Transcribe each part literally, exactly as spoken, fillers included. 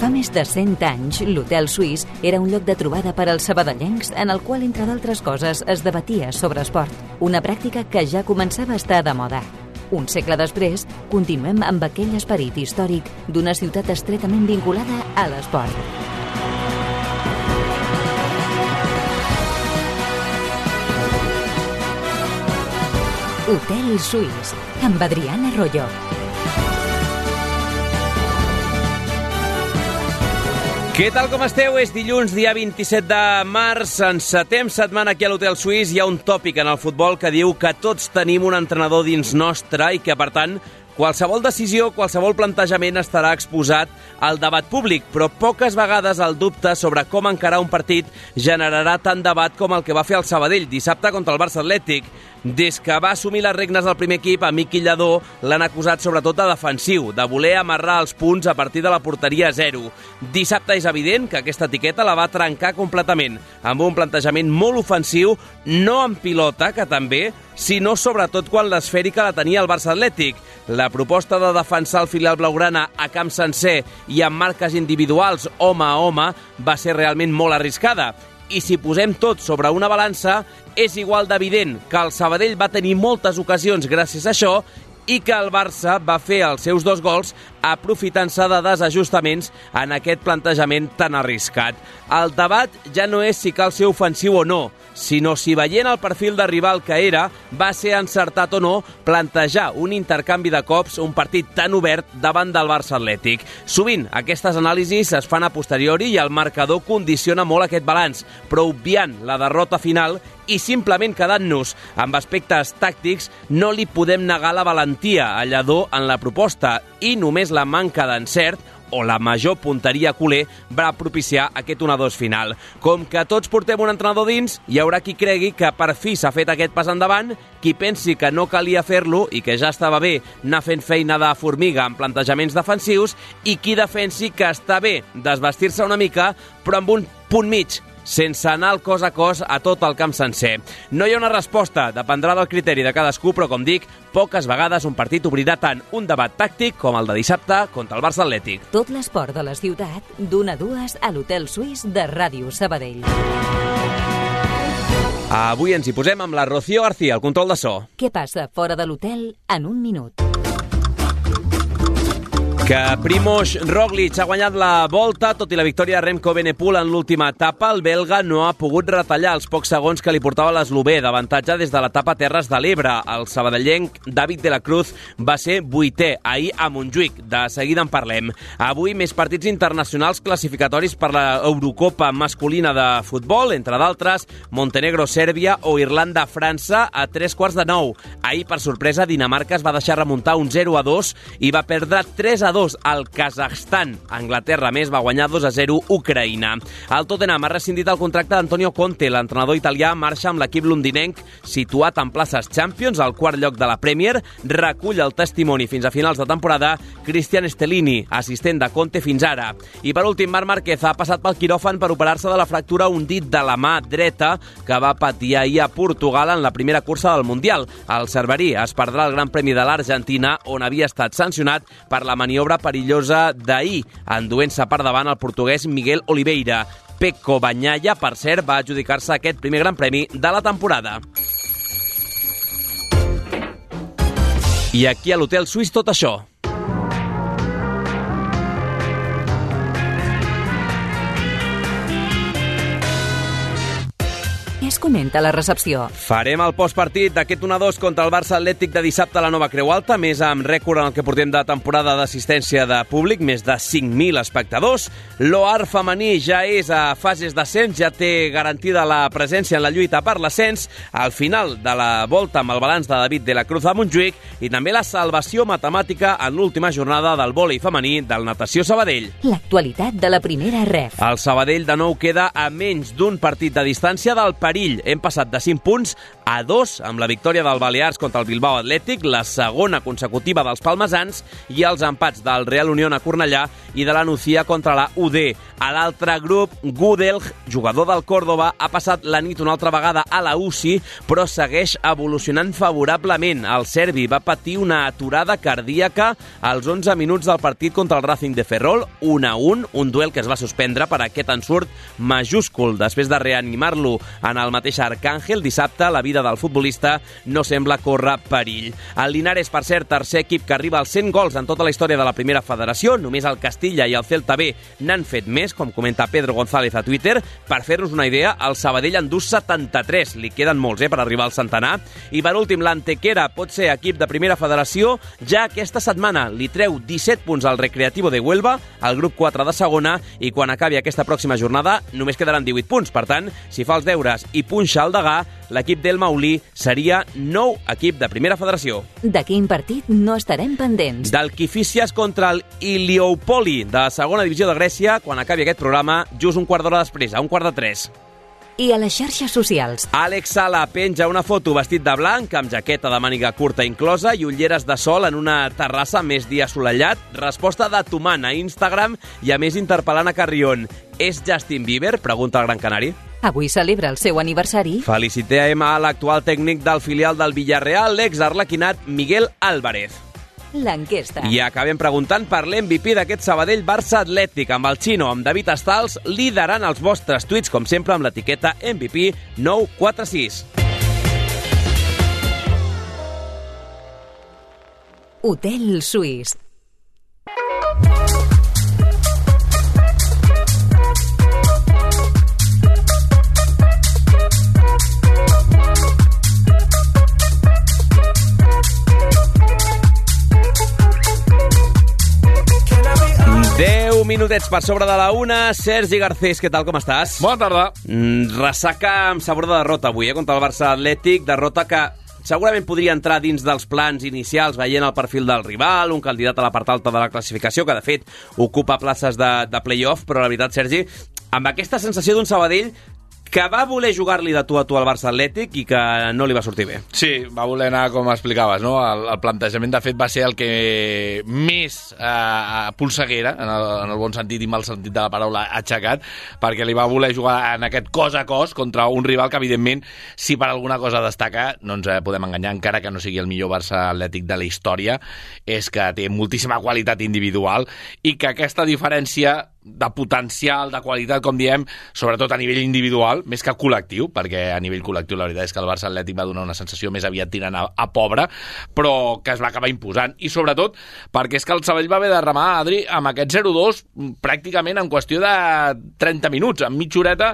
Fa més de cent anys, l'Hotel Suís era un lloc de trobada per als sabadellencs en el qual, entre d'altres coses, es debatia sobre esport, una pràctica que ja començava a estar de moda. Un segle després, continuem amb aquell esperit històric d'una ciutat estretament vinculada a l'esport. Hotel Suís, amb Adriana Arroyo. Què tal, com esteu? És dilluns, dia vint-i-set de març, encetem setmana aquí a l'Hotel Suís. Hi ha un tòpic en el futbol que diu que tots tenim un entrenador dins nostre i que, per tant, qualsevol decisió, qualsevol plantejament estarà exposat al debat públic, però poques vegades el dubte sobre com encarar un partit generarà tant debat com el que va fer el Sabadell dissabte contra el Barça Atlètic. Des que va assumir les regnes del primer equip, a Miqui Lladó l'han acusat sobretot de defensiu, de voler amarrar els punts a partir de la porteria zero. Dissabte és evident que aquesta etiqueta la va trencar completament, amb un plantejament molt ofensiu, no en pilota, que també, sinó sobretot quan l'esfèrica la tenia el Barça Atlètic. La proposta de defensar el filial blaugrana a camp sencer i amb marques individuals home a home va ser realment molt arriscada. I si posem tot sobre una balança, és igual d'evident que el Sabadell va tenir moltes ocasions gràcies a això i que el Barça va fer els seus dos gols aprofitant-se de desajustaments en aquest plantejament tan arriscat. El debat ja no és si cal ser ofensiu o no, sinó si veient el perfil de rival que era, va ser encertat o no plantejar un intercanvi de cops, un partit tan obert davant del Barça Atlètic. Sovint aquestes anàlisis es fan a posteriori i el marcador condiciona molt aquest balanç, però obviant la derrota final i simplement quedant-nos amb aspectes tàctics, no li podem negar la valentia a Lladó en la proposta i només la manca d'encert o la major punteria culer va propiciar aquest un a dos final. Com que tots portem un entrenador dins, hi haurà qui cregui que per fi s'ha fet aquest pas endavant, qui pensi que no calia fer-lo i que ja estava bé anar fent feina de formiga en plantejaments defensius i qui defensi que està bé desvestir-se una mica però amb un punt mig, sense anar el cos a cos a tot el camp sencer. No hi ha una resposta, dependrà del criteri de cadascú, però com dic, poques vegades un partit obrirà tant un debat tàctic com el de dissabte contra el Barça Atlètic. Tot l'esport de la ciutat, d'una a dues a l'Hotel Suís de Ràdio Sabadell. Avui ens hi posem amb la Rocío García, al control de so. Què passa fora de l'hotel en un minut? Que Primož Roglič ha guanyat la Volta, tot i la victòria de Remco Evenepoel en l'última etapa, el belga no ha pogut retallar els pocs segons que li portava l'eslovè d'avantatge des de l'etapa Terres de l'Ebre. El sabadellenc David de la Cruz va ser vuitè ahir a Montjuïc. De seguida en parlem. Avui més partits internacionals classificatoris per l'Eurocopa masculina de futbol, entre d'altres Montenegro-Sèrbia o Irlanda-França a tres quarts de nou. Ahir, per sorpresa, Dinamarca es va deixar remuntar un zero a dos i va perdre tres a dos al Kazakhstan. Anglaterra, més, va guanyar dos a zero Ucraïna. El Tottenham ha rescindit el contracte d'Antonio Conte. L'entrenador italià marxa amb l'equip londinenc situat en places Champions, al quart lloc de la Premier. Recull el testimoni fins a finals de temporada Cristian Stellini, assistent de Conte fins ara. I per últim, Marc Márquez ha passat pel quiròfan per operar-se de la fractura un dit de la mà dreta que va patir ahir a Portugal en la primera cursa del Mundial. El cerverí es perdrà el Gran Premi de l'Argentina, on havia estat sancionat per la maniobra perillosa d'ahir, enduent-se per davant el portuguès Miguel Oliveira. Pecco Bagnaia, per cert, va adjudicar-se aquest primer Gran Premi de la temporada. I aquí a l'Hotel Suís tot això. Es comenta a la recepció. Farem el postpartit d'aquest un a dos contra el Barça Atlètic de dissabte a la Nova Creu Alta, més amb rècord en el que portem de temporada d'assistència de públic, més de cinc mil espectadors. L'O A R femení ja és a fases d'ascens, ja té garantida la presència en la lluita per l'ascens, al final de la volta amb el balanç de David de la Cruz a Montjuïc i també la salvació matemàtica en l'última jornada del vòlei femení del Natació Sabadell. L'actualitat de la primera ref. El Sabadell de nou queda a menys d'un partit de distància del perill perill. Hem passat de cinc punts a dos amb la victòria del Balears contra el Bilbao Atlètic, la segona consecutiva dels palmesans i els empats del Real Unión a Cornellà i de la Nucía contra la U D. A l'altre grup, Gudelj, jugador del Córdoba, ha passat la nit una altra vegada a la U C I, però segueix evolucionant favorablement. El serbi va patir una aturada cardíaca als onze minuts del partit contra el Racing de Ferrol, un a un, un duel que es va suspendre per aquest ensurt majúscul. Després de reanimar-lo en el mateix Arcàngel, dissabte la vida del futbolista no sembla córrer perill. El Linares, per cert, tercer equip que arriba als cent gols en tota la història de la primera federació. Només el Castilla i el Celta B n'han fet més, com comenta Pedro González a Twitter. Per fer-nos una idea, el Sabadell en du setanta-tres. Li queden molts, eh, per arribar al centenar. I per últim, l'Antequera pot ser equip de primera federació. Ja aquesta setmana li treu disset punts al Recreativo de Huelva, al grup quatre de segona, i quan acabi aquesta pròxima jornada només quedaran divuit punts. Per tant, si fa els deures i punxa el degà, l'equip del Maulí seria nou equip de primera federació. De quin partit no estarem pendents? Del Kifísias contra el Iliopoli de segona divisió de Grècia, quan acabi aquest programa, just un quart d'hora després, a un quart de tres. I a les xarxes socials. Àlex Sala penja una foto vestit de blanc, amb jaqueta de màniga curta inclosa i ulleres de sol en una terrassa més dia assolellat. Resposta de Tuman a Instagram i a més interpel·lant a Carrion. És Justin Bieber? Pregunta el Gran Canari. Avui celebra el seu aniversari. Felicitem a l'actual tècnic del filial del Villarreal, l'ex-arlequinat Miguel Álvarez. L'enquesta. I acabem preguntant per l'M V P d'aquest Sabadell-Barça Atlètic, amb el Xino, amb David Estals, liderant els vostres tuits, com sempre, amb l'etiqueta M V P nou quatre sis. Hotel Suís. deu minutets per sobre de la una. Sergi Garcés, què tal, com estàs? Bona tarda. Mm, ressaca amb sabor de derrota avui, eh, contra el Barça Atlètic. Derrota que segurament podria entrar dins dels plans inicials, veient el perfil del rival, un candidat a la part alta de la classificació, que de fet ocupa places de, de play-off, però la veritat, Sergi, amb aquesta sensació d'un Sabadell que va voler jugar-li de tu a tu al Barça Atlètic i que no li va sortir bé. Sí, va voler anar, com explicaves, no? El, el plantejament, de fet, va ser el que més eh, polseguera, en el, en el bon sentit i mal sentit de la paraula, aixecat, perquè li va voler jugar en aquest cos a cos contra un rival que, evidentment, si per alguna cosa destaca, no ens podem enganyar, encara que no sigui el millor Barça Atlètic de la història, és que té moltíssima qualitat individual i que aquesta diferència de potencial, de qualitat, com diem, sobretot a nivell individual, més que col·lectiu, perquè a nivell col·lectiu la veritat és que el Barça Atlètic va donar una sensació més aviat tirant a, a pobre, però que es va acabar imposant. I sobretot perquè és que el Sabadell va haver de remar, Adri, amb aquest zero dos pràcticament en qüestió de trenta minuts. En mitja horeta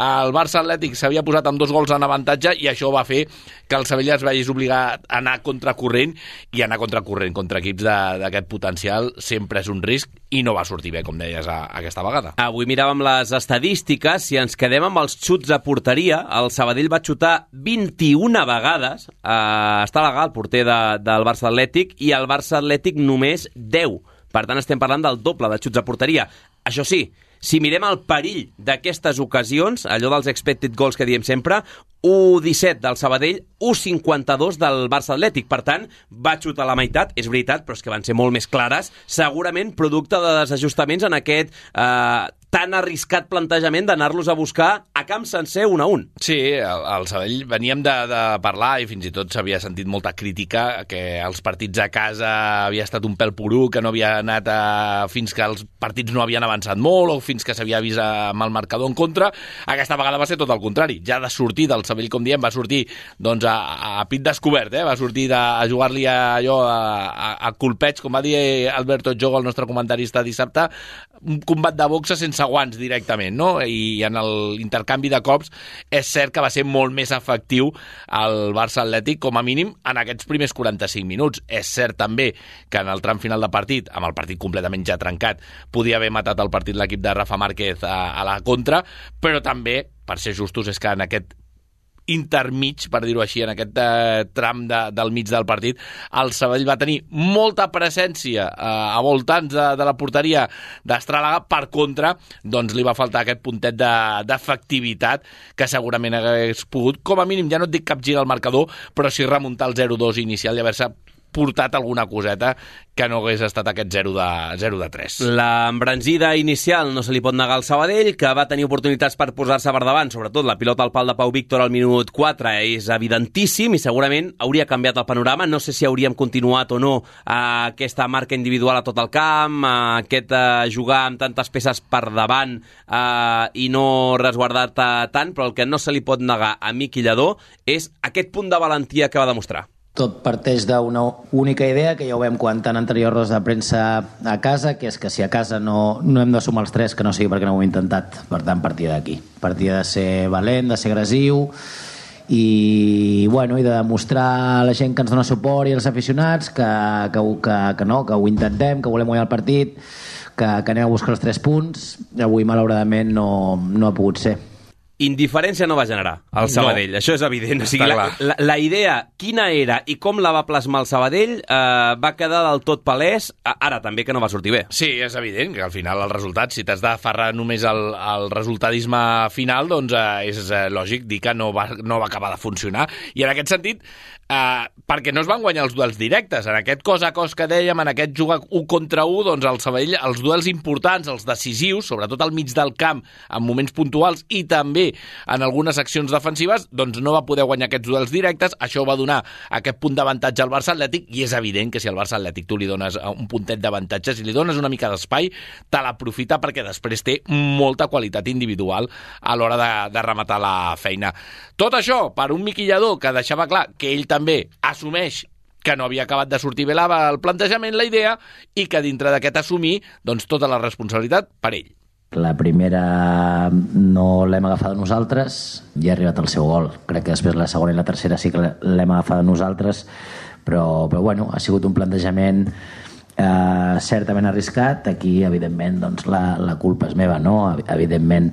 el Barça Atlètic s'havia posat amb dos gols en avantatge i això va fer que el Sabadell es veiés obligat a anar contracorrent, i anar contracorrent contra equips d'aquest potencial sempre és un risc, i no va sortir bé, com deies, a, aquesta vegada. Avui miràvem les estadístiques. Si ens quedem amb els xuts a porteria, el Sabadell va xutar vint-i-una vegades. Eh, està legal el porter de, del Barça Atlètic, i el Barça Atlètic només deu. Per tant, estem parlant del doble de xuts a porteria. Això sí, si mirem el perill d'aquestes ocasions, allò dels expected goals que diem sempre, u disset del Sabadell, u cinquanta-dos del Barça Atlètic. Per tant, va xutar la meitat, és veritat, però és que van ser molt més clares, segurament producte de desajustaments en aquest eh, tan arriscat plantejament d'anar-los a buscar a camp sencer un a un. Sí, el, el Sabadell veníem de, de parlar, i fins i tot s'havia sentit molta crítica, que els partits a casa havia estat un pèl poru, que no havia anat a, fins que els partits no havien avançat molt, o fins que s'havia vist amb el marcador en contra. Aquesta vegada va ser tot el contrari. Ja de sortir del Sabadell, com diem, va sortir doncs, a, a pit descobert, eh? Va sortir de, a jugar-li a, allò a, a, a colpeig, com va dir Alberto Jogo, el nostre comentarista dissabte, un combat de boxa sense guants directament, no? I en l'intercanvi de cops és cert que va ser molt més efectiu el Barça Atlètic, com a mínim en aquests primers quaranta-cinc minuts. És cert també que en el tram final de partit, amb el partit completament ja trencat, podia haver matat el partit l'equip de Rafa Márquez a, a la contra, però també, per ser justos, és que en aquest intermig, per dir-ho així, en aquest eh, tram de, del mig del partit, el Sabadell va tenir molta presència eh, a voltants de, de la porteria d'Estràlaga. Per contra, doncs li va faltar aquest puntet de, d'efectivitat que segurament hagués pogut, com a mínim, ja no et dic capgirar el marcador, però sí remuntar el zero dos inicial i haver-se portat alguna coseta que no hagués estat aquest zero de tres. La embranzida inicial no se li pot negar al Sabadell, que va tenir oportunitats per posar-se per davant, sobretot la pilota al pal de Pau Víctor al minut quatre és evidentíssim i segurament hauria canviat el panorama. No sé si hauríem continuat o no a aquesta marca individual a tot el camp, a aquest a jugar amb tantes peces per davant eh, i no resguardar-te tant, però el que no se li pot negar a Miqui Lladó és aquest punt de valentia que va demostrar. Tot parteix d'una única idea que ja ho vam comentar en anteriors rodes de premsa a casa, que és que si a casa no, no hem de sumar els tres, que no sigui perquè no ho hem intentat. Per tant, partida d'aquí. Partida de ser valent, de ser agressiu i, bueno, i de demostrar a la gent que ens dona suport i als aficionats que, que, que, que, no, que ho intentem, que volem guanyar el partit, que, que anem a buscar els tres punts. Avui, malauradament, no, no ha pogut ser. Indiferència no va generar el Sabadell, no. Això és evident. O sigui, la, la, la idea, quina era i com la va plasmar el Sabadell, eh, va quedar del tot palès, ara també que no va sortir bé. Sí, és evident que al final el resultat, si t'has d'aferrar només al, al resultadisme final, doncs eh, és eh, lògic dir que no va, no va acabar de funcionar. I en aquest sentit, eh, perquè no es van guanyar els duels directes, en aquest cos a cos que dèiem, en aquest jugar un contra un, doncs el Sabadell, els duels importants, els decisius, sobretot al mig del camp, en moments puntuals i també en algunes accions defensives, doncs no va poder guanyar aquests duels directes. Això va donar aquest punt d'avantatge al Barça Atlètic i és evident que si al Barça Atlètic tu li dones un puntet d'avantatge, si li dones una mica d'espai, te l'aprofita perquè després té molta qualitat individual a l'hora de, de rematar la feina. Tot això per un Miqui Lladó que deixava clar que ell també assumeix que no havia acabat de sortir bé el plantejament, la idea, i que dintre d'aquest assumir, doncs tota la responsabilitat per ell. La primera no l'hem agafada nosaltres i ha arribat el seu gol. Crec que després la segona i la tercera sí que l'hem agafada nosaltres, però, però bueno, ha sigut un plantejament eh, certament arriscat. Aquí, evidentment, doncs, la, la culpa és meva, no? Evidentment,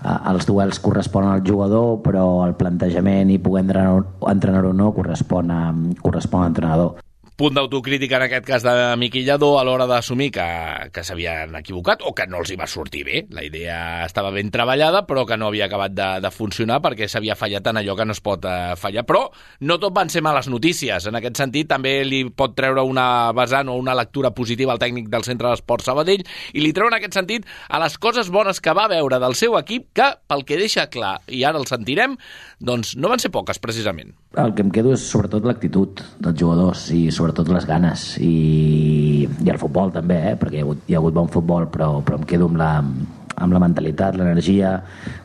eh, els duels corresponen al jugador, però el plantejament i poder entrenar, entrenar o no correspon, a, correspon a l'entrenador. Punt d'autocrítica en aquest cas de Miqui Lladó a l'hora d'assumir que, que s'havien equivocat o que no els hi va sortir bé. La idea estava ben treballada però que no havia acabat de, de funcionar perquè s'havia fallat en allò que no es pot eh, fallar. Però no tot van ser males notícies. En aquest sentit també li pot treure una vessant o una lectura positiva al tècnic del Centre d'Esports Sabadell i li treu en aquest sentit a les coses bones que va veure del seu equip que, pel que deixa clar, i ara el sentirem, doncs no van ser poques precisament. El que em quedo és sobretot l'actitud dels jugadors i sobretot sobretot les ganes i, i el futbol també, eh? Perquè hi ha hagut, hi ha hagut bon futbol, però, però em quedo amb la, amb la mentalitat, l'energia,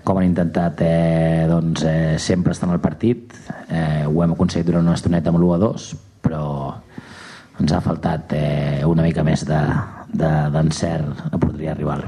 com han intentat eh, doncs, eh, sempre estar en el partit. Eh, ho hem aconseguit durant una estoneta amb l'u a dos, però ens ha faltat eh, una mica més de, de, d'encert a porteria rival.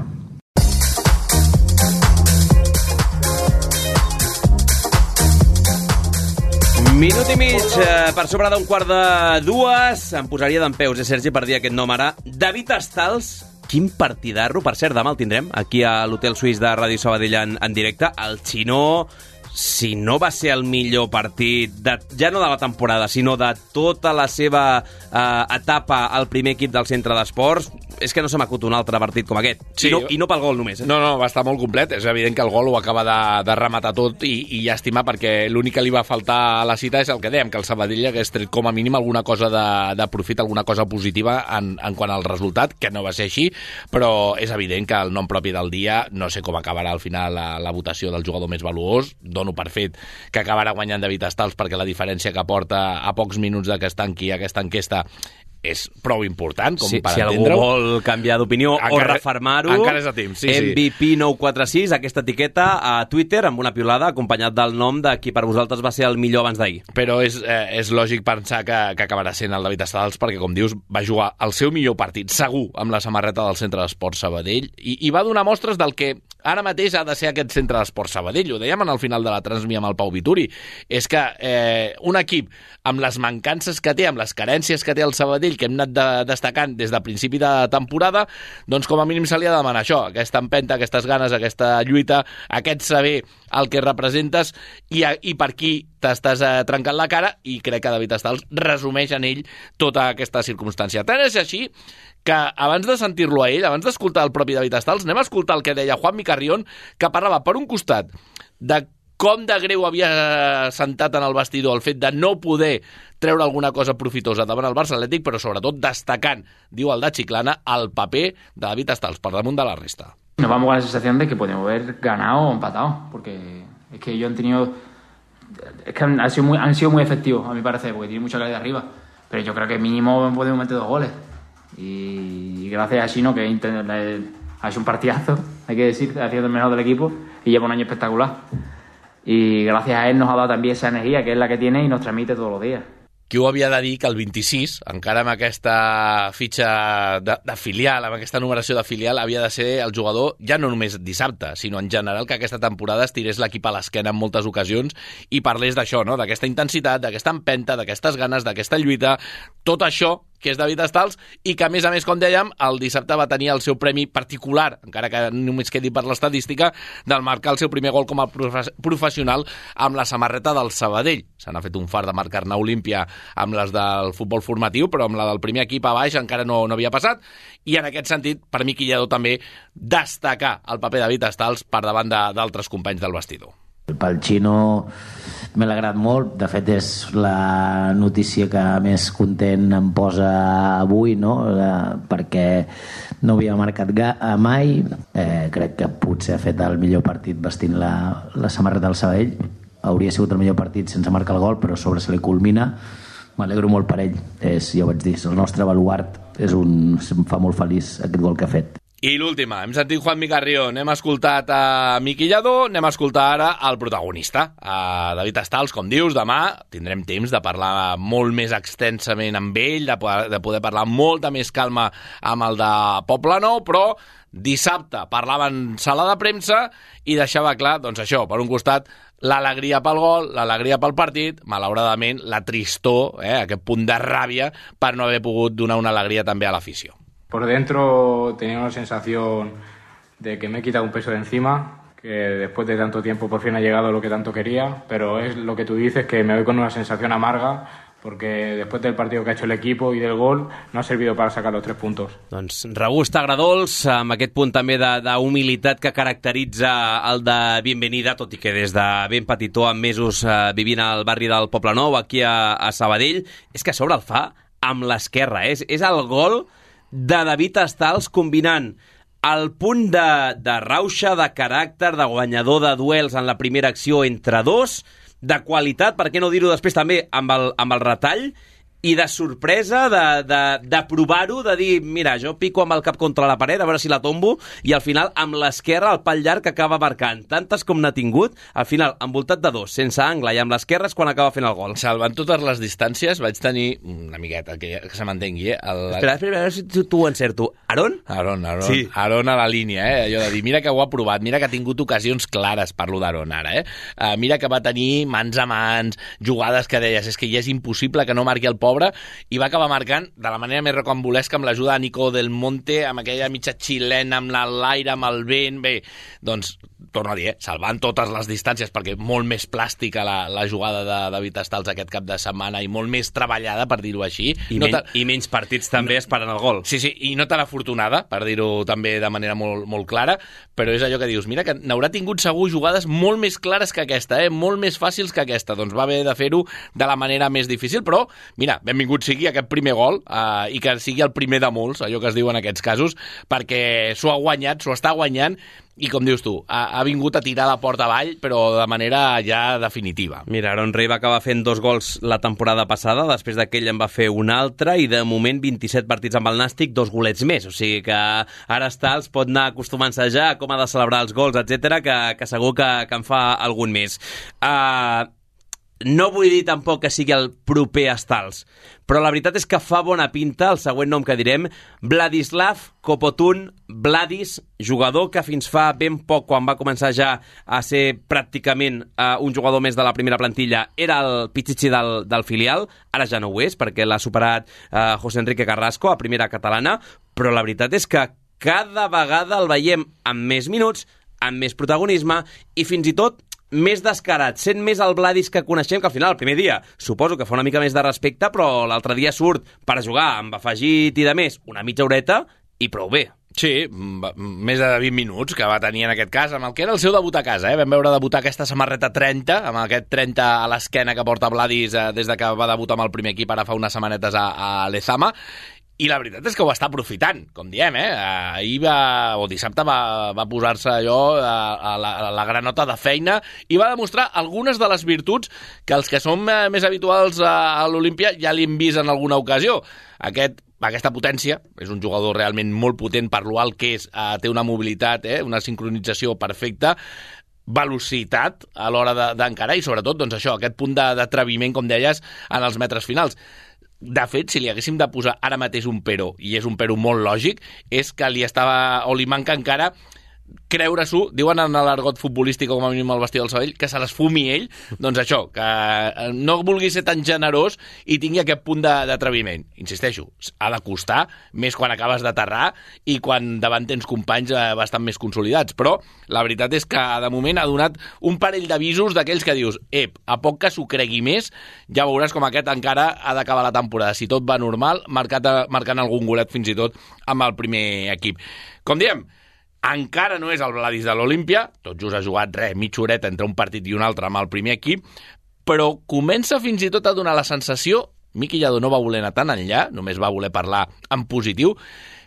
Minut i mig eh, per sobre d'un quart de dues. Em posaria dempeus, eh, Sergi, per dir aquest nom ara. David Estals, quin partidarro. Per cert, demà el tindrem aquí a l'Hotel Suís de Ràdio Sabadell en, en directe. El Xinó, si no va ser el millor partit, de, ja no de la temporada, sinó de tota la seva eh, etapa al primer equip del Centre d'Esports, és que no se m'acut un altre partit com aquest. Sí. I, no, I no pel gol només. Eh? No, no, va estar molt complet. És evident que el gol ho acaba de, de rematar tot i, i llàstima perquè l'únic que li va faltar a la cita és el que dèiem, que el Sabadell hagués tret com a mínim alguna cosa de, de profit, alguna cosa positiva en, en quant al resultat, que no va ser així, però és evident que el nom propi del dia, no sé com acabarà al final la, la votació del jugador més valuós, dono per fet que acabarà guanyant David Estals perquè la diferència que porta a pocs minuts de que es tanqui aquesta enquesta és prou important com sí, per si entendre-ho. Si algú vol canviar d'opinió encara, o refermar-ho, encara és a temps, sí, M V P nou quatre sis, aquesta etiqueta a Twitter amb una piulada acompanyat del nom de qui per vosaltres va ser el millor abans d'ahir. Però és, eh, és lògic pensar que, que acabarà sent el David Estals perquè, com dius, va jugar el seu millor partit, segur, amb la samarreta del Centre d'Esports Sabadell i, i va donar mostres del que ara mateix ha de ser aquest Centre d'Esports Sabadell. Ho dèiem al final de la transmissió amb el Pau Vituri. És que eh, un equip amb les mancances que té, amb les carències que té el Sabadell, ell que hem anat de, destacant des de principi de temporada, doncs com a mínim se li ha de demanar això, aquesta empenta, aquestes ganes, aquesta lluita, aquest saber el que representes i, i per qui t'estàs eh, trencant la cara, i crec que David Stals resumeix en ell tota aquesta circumstància. Tant és així que abans de sentir-lo a ell, abans d'escoltar el propi David Stals, anem a escoltar el que deia Juanmi Carrión, que parlava per un costat de com de greu havia sentat en el vestidor el fet de no poder treure alguna cosa profitosa davant el Barça Atlètic, però sobretot destacant, diu el de Chiclana, el paper de David Stals per damunt de la resta. Nos vamos con la sensación de que podemos haber ganado o empatado, porque es que ellos han tenido, es que han, han, sido muy, han sido muy efectivos, a mi parecer, porque tienen mucha calidad arriba, pero yo creo que mínimo podemos meter dos goles. Y gracias a Chino, que ha hecho un partidazo, hay que decir, ha sido el mejor del equipo y lleva un año espectacular. Y gracias a él nos ha dado también esa energía que es la que tiene y nos transmite todos los días. Qui ho havia de dir que el vint-i-sis, encara amb aquesta fitxa de, de filial, amb aquesta numeració de filial, havia de ser el jugador, ja no només dissabte, sinó en general que aquesta temporada es tirés l'equip a l'esquena en moltes ocasions i parlés d'això, no? D'aquesta intensitat, d'aquesta empenta, d'aquestes ganes, d'aquesta lluita, tot això que és David Stals, i que, a més a més, com dèiem, el dissabte va tenir el seu premi particular, encara que només quedi per l'estadística, del marcar el seu primer gol com a profe- professional amb la samarreta del Sabadell. Se n'ha fet un fart de marcar-ne Olímpia amb les del futbol formatiu, però amb la del primer equip a baix encara no, no havia passat, i en aquest sentit, per mi, Quillador també destacar el paper de David Stals per davant de, d'altres companys del vestidor. Pel Xino me l'ha agradat molt, de fet és la notícia que més content em posa avui, no? Eh, perquè no havia marcat ga- mai, eh, crec que potser ha fet el millor partit vestint la, la samarreta del Sabadell, hauria sigut el millor partit sense marcar el gol, però a sobre se li culmina, m'alegro molt per ell, és, ja ho vaig dir, és el nostre baluart, és un, em fa molt feliç aquest gol que ha fet. I l'última, hem sentit Juanmi Carrión, hem escoltat a Miqui Lladó, anem a escoltar ara el protagonista, a David Stals, com dius, demà tindrem temps de parlar molt més extensament amb ell, de poder, de poder parlar amb molta més calma amb el de Poblenou, però dissabte parlava en sala de premsa i deixava clar, doncs això, per un costat, l'alegria pel gol, l'alegria pel partit, malauradament la tristor, eh, aquest punt de ràbia per no haver pogut donar una alegria també a l'afició. Por dentro tenía una sensación de que me he quitado un peso de encima, que después de tanto tiempo por fin ha llegado lo que tanto quería, pero es lo que tú dices, que me voy con una sensación amarga, porque después del partido que ha hecho el equipo y del gol no ha servido para sacar los tres puntos. Doncs regust agradols, amb aquest punt també d'humilitat que caracteritza el de Bienvenida, tot i que des de ben petitó, amb mesos eh, vivint al barri del Poblenou, aquí a, a Sabadell, és que a sobre el fa amb l'esquerra, eh? és, és el gol de David Stals combinant el punt de, de rauxa, de caràcter, de guanyador de duels en la primera acció entre dos, de qualitat, per què no dir-ho després també, amb el, amb el retall, i de sorpresa, de, de, de provar-ho, de dir, mira, jo pico amb el cap contra la paret, a veure si la tombo, i al final, amb l'esquerra, el pal llarg que acaba marcant. Tantes com n'ha tingut, al final, envoltat de dos, sense angle, i amb l'esquerra és quan acaba fent el gol. Salvant totes les distàncies, vaig tenir una miqueta, que, que se m'entengui, eh? El... Espera, espera, a veure si tu, tu ho encerto. Aron? Aron, Aron, sí. Aron a la línia, eh? Allò de dir, mira que ho ha provat, mira que ha tingut ocasions clares, parlo d'Aron ara, eh? Uh, mira que va tenir mans a mans, jugades que deies, és que ja és impossible que no marqui el pobre, i va acabar marcant de la manera més rocambolesca amb l'ajuda de Nico Del Monte, amb aquella mitja xilena, amb l'aire, amb el vent, bé, doncs, torno a dir, eh, salvant totes les distàncies, perquè molt més plàstica la, la jugada de David Stals aquest cap de setmana i molt més treballada, per dir-ho així. I, no men I menys partits també no, esperant el gol. Sí, sí, i no tan afortunada, per dir-ho també de manera molt, molt clara, però és allò que dius, mira que n'haurà tingut segur jugades molt més clares que aquesta, eh? Molt més fàcils que aquesta, doncs va haver de fer-ho de la manera més difícil, però, mira, benvingut sigui aquest primer gol, eh, i que sigui el primer de molts, allò que es diu en aquests casos, perquè s'ho ha guanyat, s'ho està guanyant, i com dius tu, ha, ha vingut a tirar la porta avall, però de manera ja definitiva. Mira, Aaron Rey va acabar fent dos gols la temporada passada, després d'aquell en va fer un altre, i de moment vint-i-set partits amb el Nàstic, dos golets més, o sigui que ara Stals pot anar acostumant-se ja a com ha de celebrar els gols, etcètera, que, que segur que, que en fa algun més. Uh, no vull dir tampoc que sigui el proper Stals, però la veritat és que fa bona pinta el següent nom que direm, Vladislav Kopotun Vladis, jugador que fins fa ben poc, quan va començar ja a ser pràcticament uh, un jugador més de la primera plantilla, era el pichichi del, del filial, ara ja no ho és, perquè l'ha superat uh, José Enrique Carrasco a primera catalana, però la veritat és que cada vegada el veiem amb més minuts, amb més protagonisme i fins i tot més descarat, sent més el Vladis que coneixem, que al final, el primer dia, suposo que fa una mica més de respecte, però l'altre dia surt per jugar amb afegit i de més una mitja horeta i prou bé. Sí, més de vint minuts que va tenir en aquest cas, amb el que era el seu debut a casa. Eh? Vam veure debutar aquesta samarreta trenta, amb aquest trenta a l'esquena que porta Vladis eh, des de que va debutar amb el primer equip, ara fa unes setmanetes a, a Lezama. I la veritat és que ho està aprofitant, com diem, eh? Ahir va, o dissabte va, va posar-se allò a, a, la, a la granota de feina i va demostrar algunes de les virtuts que els que som més habituals a, a l'Olímpia ja li hem vist en alguna ocasió. Aquest Aquesta potència, és un jugador realment molt potent per l'alt que és, eh, té una mobilitat, eh, una sincronització perfecta, velocitat a l'hora d'encarar i sobretot doncs això, aquest punt d'atreviment, com deies, en els metres finals. De fet, si li haguéssim de posar ara mateix un però, i és un però molt lògic, és que li estava, o li manca encara creure-s'ho, diuen en l'argot futbolístic com a mínim al vestidor del Sabadell, que se les fumi ell, doncs això, que no vulgui ser tan generós i tingui aquest punt d'atreviment. Insisteixo, ha de costar, més quan acabes d'aterrar i quan davant tens companys bastant més consolidats, però la veritat és que de moment ha donat un parell d'avisos d'aquells que dius, ep, a poc que s'ho cregui més, ja veuràs com aquest encara ha d'acabar la temporada, si tot va normal, marcat, marcant algun golet fins i tot amb el primer equip. Com diem, encara no és el Vladis de l'Olímpia, tot just ha jugat res, mitja horeta entre un partit i un altre amb el primer equip, però comença fins i tot a donar la sensació, Miqui Lladó no va voler anar tan enllà, només va voler parlar en positiu,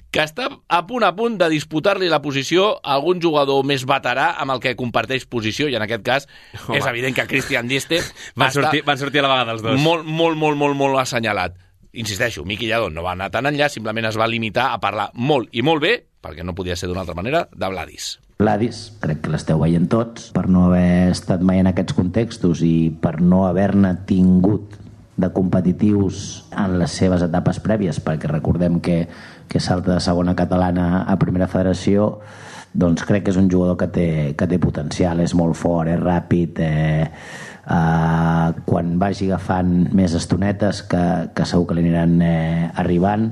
que està a punt a punt de disputar-li la posició a algun jugador més veterà amb el que comparteix posició, i en aquest cas Home. és evident que Christian Dieste van, sortir, van sortir a la vegada els dos. Molt, molt, molt, molt, molt assenyalat. Insisteixo, Miqui Lladó no va anar tan enllà, simplement es va limitar a parlar molt i molt bé, perquè no podia ser d'una altra manera, de Vladis. Vladis, crec que l'esteu veient tots, per no haver estat mai en aquests contextos i per no haver-ne tingut de competitius en les seves etapes prèvies, perquè recordem que, que salta de segona catalana a primera federació, doncs crec que és un jugador que té, que té potencial, és molt fort, és ràpid, eh, eh, quan vagi agafant més estonetes que, que segur que li aniran eh, arribant,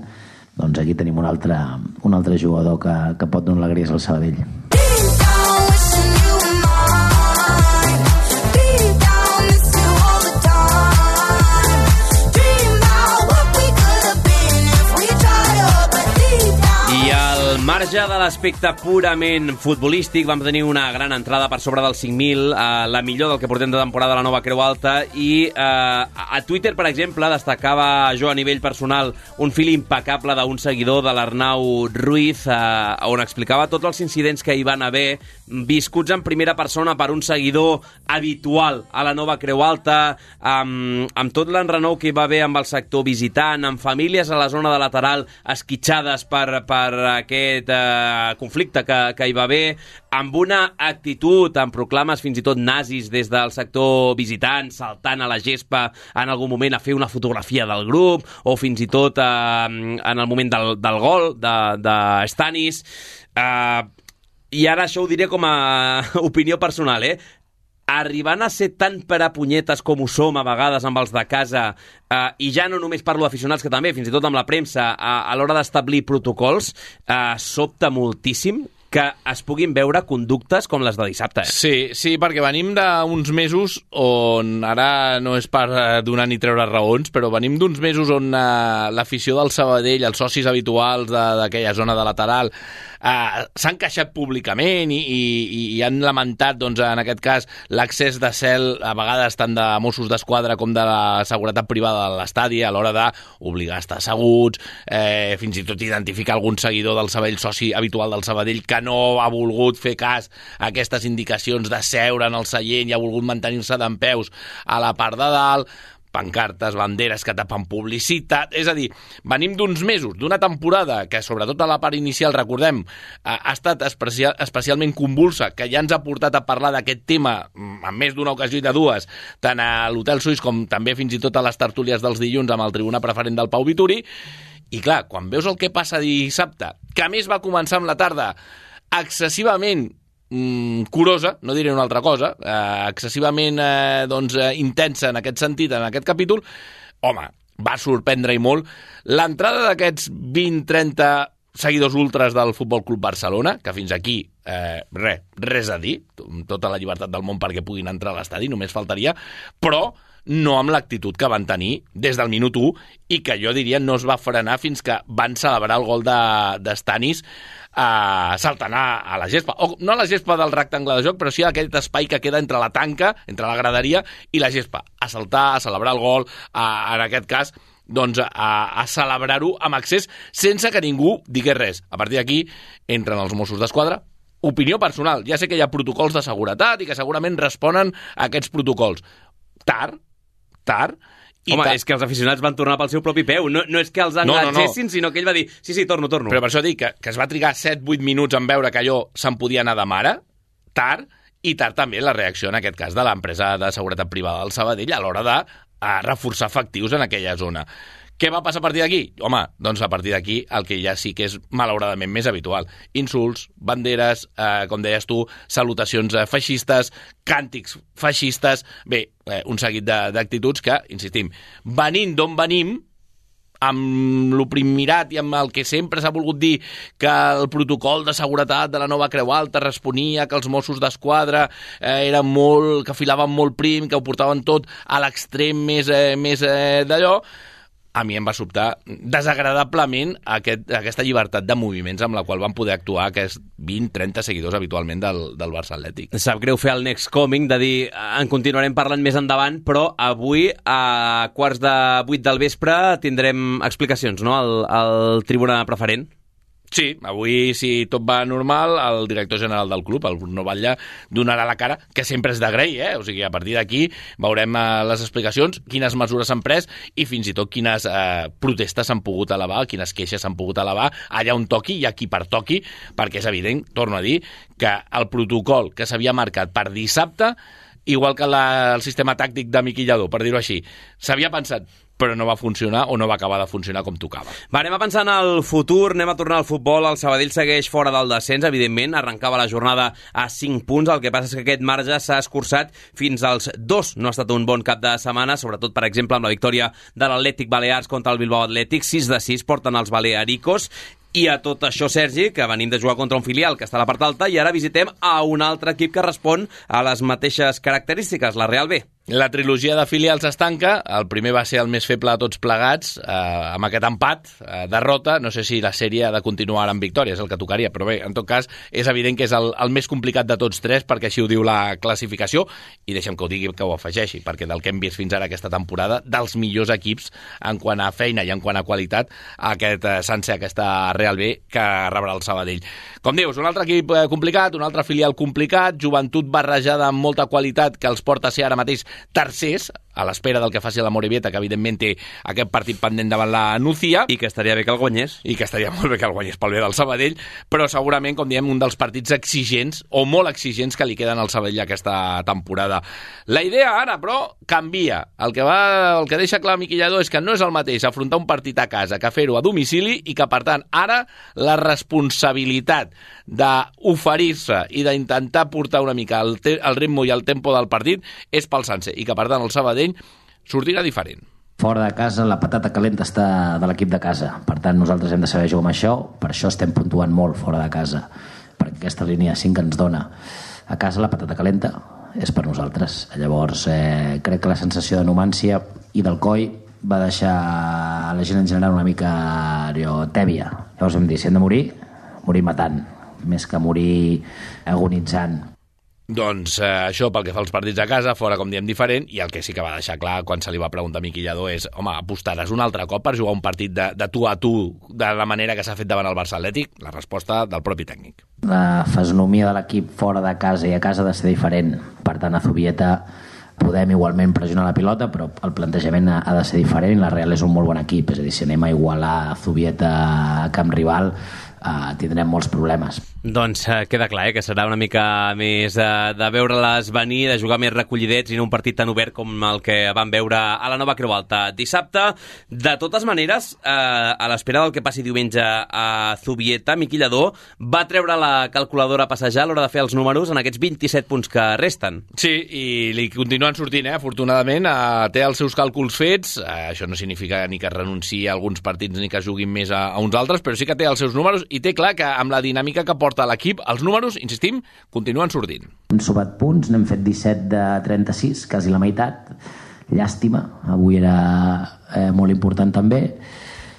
doncs aquí tenim un altre, un altre jugador que, que pot donar alegries al Sabadell. Marge de l'aspecte purament futbolístic, vam tenir una gran entrada per sobre dels cinc mil, eh, la millor del que portem de temporada a la nova Creu Alta, i eh, a Twitter, per exemple, destacava jo a nivell personal un fil impecable d'un seguidor de l'Arnau Ruiz, eh, on explicava tots els incidents que hi van haver, viscuts en primera persona per un seguidor habitual a la nova Creu Alta, amb, amb tot l'enrenou que hi va haver amb el sector visitant, amb famílies a la zona de lateral esquitxades per, per aquest eh, conflicte que, que hi va haver, amb una actitud, amb proclames fins i tot nazis des del sector visitant, saltant a la gespa en algun moment a fer una fotografia del grup, o fins i tot eh, en el moment del, del gol de, de Stanis. Eh, I ara això ho diré com a opinió personal, eh? Arribant a ser tan per a punyetes com ho som a vegades amb els de casa, eh, i ja no només parlo d'aficionats, que també, fins i tot amb la premsa, a, a l'hora d'establir protocols, eh, sobta moltíssim que es puguin veure conductes com les de dissabte. Eh? Sí, sí, perquè venim d'uns mesos on, ara no és per donar ni treure raons, però venim d'uns mesos on uh, l'afició del Sabadell, els socis habituals d'aquella zona de lateral, uh, s'han queixat públicament i, i, i han lamentat, doncs, en aquest cas, l'accés de cel, a vegades tant de Mossos d'Esquadra com de la seguretat privada de l'estadi, a l'hora d'obligar a estar asseguts, eh, fins i tot identificar algun seguidor del Sabadell, soci habitual del Sabadell, que no ha volgut fer cas a aquestes indicacions de seure en el seient i ha volgut mantenir-se dempeus a la part de dalt. pancartes, banderes que tapen publicitat, és a dir, venim d'uns mesos, d'una temporada que sobretot a la part inicial, recordem, ha estat especial, especialment convulsa, que ja ens ha portat a parlar d'aquest tema en més d'una ocasió i de dues, tant a l'Hotel Suís com també fins i tot a les tertúlies dels dilluns amb el tribuna preferent del Pau Vituri. I clar, quan veus el que passa dissabte, que a més va començar amb la tarda excessivament mm, curosa, no diré una altra cosa, eh, excessivament eh, doncs, eh, intensa en aquest sentit, en aquest capítol, home, va sorprendre i molt l'entrada d'aquests vint trenta seguidors ultras del Futbol Club Barcelona, que fins aquí eh, res, res a dir, tota la llibertat del món perquè puguin entrar a l'estadi, només faltaria, però no amb l'actitud que van tenir des del minut u i que jo diria no es va frenar fins que van celebrar el gol de, de Stanis eh, saltant a, a la gespa. O no a la gespa del rectangle de joc, però sí a aquest espai que queda entre la tanca, entre la graderia i la gespa. A saltar, a celebrar el gol, a, en aquest cas, doncs a, a celebrar-ho amb accés sense que ningú digués res. A partir d'aquí entren els Mossos d'Esquadra. Opinió personal. Ja sé que hi ha protocols de seguretat i que segurament responen a aquests protocols. Tard, tard, i Home, tard. És que els aficionats van tornar pel seu propi peu. No, no és que els enganxessin, no, no, no. sinó que ell va dir sí, sí, torno, torno. Però per això dic que, que es va trigar set vuit minuts en veure que allò se'n podia anar de mare, tard, i tard també la reacció, en aquest cas, de l'empresa de seguretat privada del Sabadell a l'hora de a reforçar efectius en aquella zona. Què va passar a partir d'aquí? Home, doncs a partir d'aquí el que ja sí que és malauradament més habitual. Insults, banderes, eh, com deies tu, salutacions eh, feixistes, càntics feixistes, bé, eh, un seguit d'actituds que, insistim, venint d'on venim, amb l'oprimirat i amb el que sempre s'ha volgut dir que el protocol de seguretat de la nova Creu Alta responia que els Mossos d'Esquadra eh, eren molt, que filaven molt prim, que ho portaven tot a l'extrem més, eh, més eh, d'allò, a mi em va sobtar desagradablement aquest, aquesta llibertat de moviments amb la qual van poder actuar aquests vint trenta seguidors habitualment del, del Barça Atlètic. Sap greu fer el next coming, de dir en continuarem parlant més endavant, però avui a quarts de vuit del vespre tindrem explicacions, no?, al, al tribuna preferent. Sí, avui, si tot va normal, el director general del club, el Bruno Batlle, donarà la cara, que sempre és d'agrair, eh? O sigui, a partir d'aquí veurem eh, les explicacions, quines mesures s'han pres i fins i tot quines eh, protestes s'han pogut elevar, quines queixes s'han pogut elevar, allà on toqui i aquí per toqui, perquè és evident, torno a dir, que el protocol que s'havia marcat per dissabte, igual que la, el sistema tàctic de Miqui Lladó, per dir-ho així, s'havia pensat, però no va funcionar o no va acabar de funcionar com tocava. Va, anem a pensar en el futur, anem a tornar al futbol. El Sabadell segueix fora del descens, evidentment, arrencava la jornada a cinc punts, el que passa és que aquest marge s'ha escurçat fins als dos. No ha estat un bon cap de setmana, sobretot, per exemple, amb la victòria de l'Atlètic Balears contra el Bilbao Atlètic, sis de sis porten els balearicos. I a tot això, Sergi, que venim de jugar contra un filial que està a la part alta, i ara visitem a un altre equip que respon a les mateixes característiques, la Real B. La trilogia de filials es tanca, el primer va ser el més feble de tots plegats, eh, amb aquest empat, eh, derrota, no sé si la sèrie ha de continuar amb victòria, és el que tocaria, però bé, en tot cas, és evident que és el, el més complicat de tots tres, perquè així ho diu la classificació, i deixa'm que ho digui, que ho afegeixi, perquè del que hem vist fins ara aquesta temporada, dels millors equips en quant a feina i en quant a qualitat, aquest eh, sense aquesta Real B que rebrà el Sabadell. Com dius, un altre equip eh, complicat, un altre filial complicat, joventut barrejada amb molta qualitat que els porta a ser ara mateix tercers, a l'espera del que faci la Morevieta, que evidentment té aquest partit pendent davant la Nucía. I que estaria bé que el guanyés. I que estaria molt bé que el guanyés pel bé del Sabadell, però segurament, com diem, un dels partits exigents, o molt exigents, que li queden al Sabadell aquesta temporada. La idea ara, però, canvia. El que, va, el que deixa clar Miqui Lladó és que no és el mateix afrontar un partit a casa que fer-ho a domicili i que, per tant, ara la responsabilitat d'oferir-se i d'intentar portar una mica el, te el ritme i el tempo del partit és pel sencer i que, per tant, el Sabadell sortirà diferent. Fora de casa, la patata calenta està de l'equip de casa. Per tant, nosaltres hem de saber jugar amb això. Per això estem puntuant molt fora de casa, perquè aquesta línia cinc que ens dona a casa la patata calenta és per nosaltres. Llavors, eh, crec que la sensació de numància i del coi va deixar la gent en general una mica allò, tèbia. Llavors vam dir, si hem de morir, morir matant, més que morir agonitzant. Doncs eh, això pel que fa als partits a casa, fora, com diem, diferent, i el que sí que va deixar clar quan se li va preguntar a Miqui Lladó és, home, apostaràs un altre cop per jugar un partit de, de tu a tu de la manera que s'ha fet davant el Barça Atlètic? La resposta del propi tècnic. La fesomia de l'equip fora de casa i a casa ha de ser diferent. Per tant, a Zubieta podem igualment pressionar la pilota, però el plantejament ha, ha de ser diferent. La Real és un molt bon equip, és a dir, si anem a igualar Zubieta a camp rival, Uh, tindrem molts problemes. Doncs uh, queda clar, eh, que serà una mica més uh, de veure-les venir, de jugar més recollidets i no un partit tan obert com el que vam veure a la Nova Creu Alta dissabte. De totes maneres, uh, a l'espera del que passi diumenge a Zubieta, Miqui Lladó va treure la calculadora a passejar a l'hora de fer els números en aquests vint-i-set punts que resten. Sí, i li continuen sortint, eh? Afortunadament, uh, té els seus càlculs fets. Uh, això no significa ni que renunciï a alguns partits ni que juguin més a, a uns altres, però sí que té els seus números i té clar que amb la dinàmica que porta l'equip, els números, insistim, continuen sortint. Hem sumat punts, n'hem fet disset de trenta-sis, quasi la meitat. Llàstima, avui era eh, molt important també.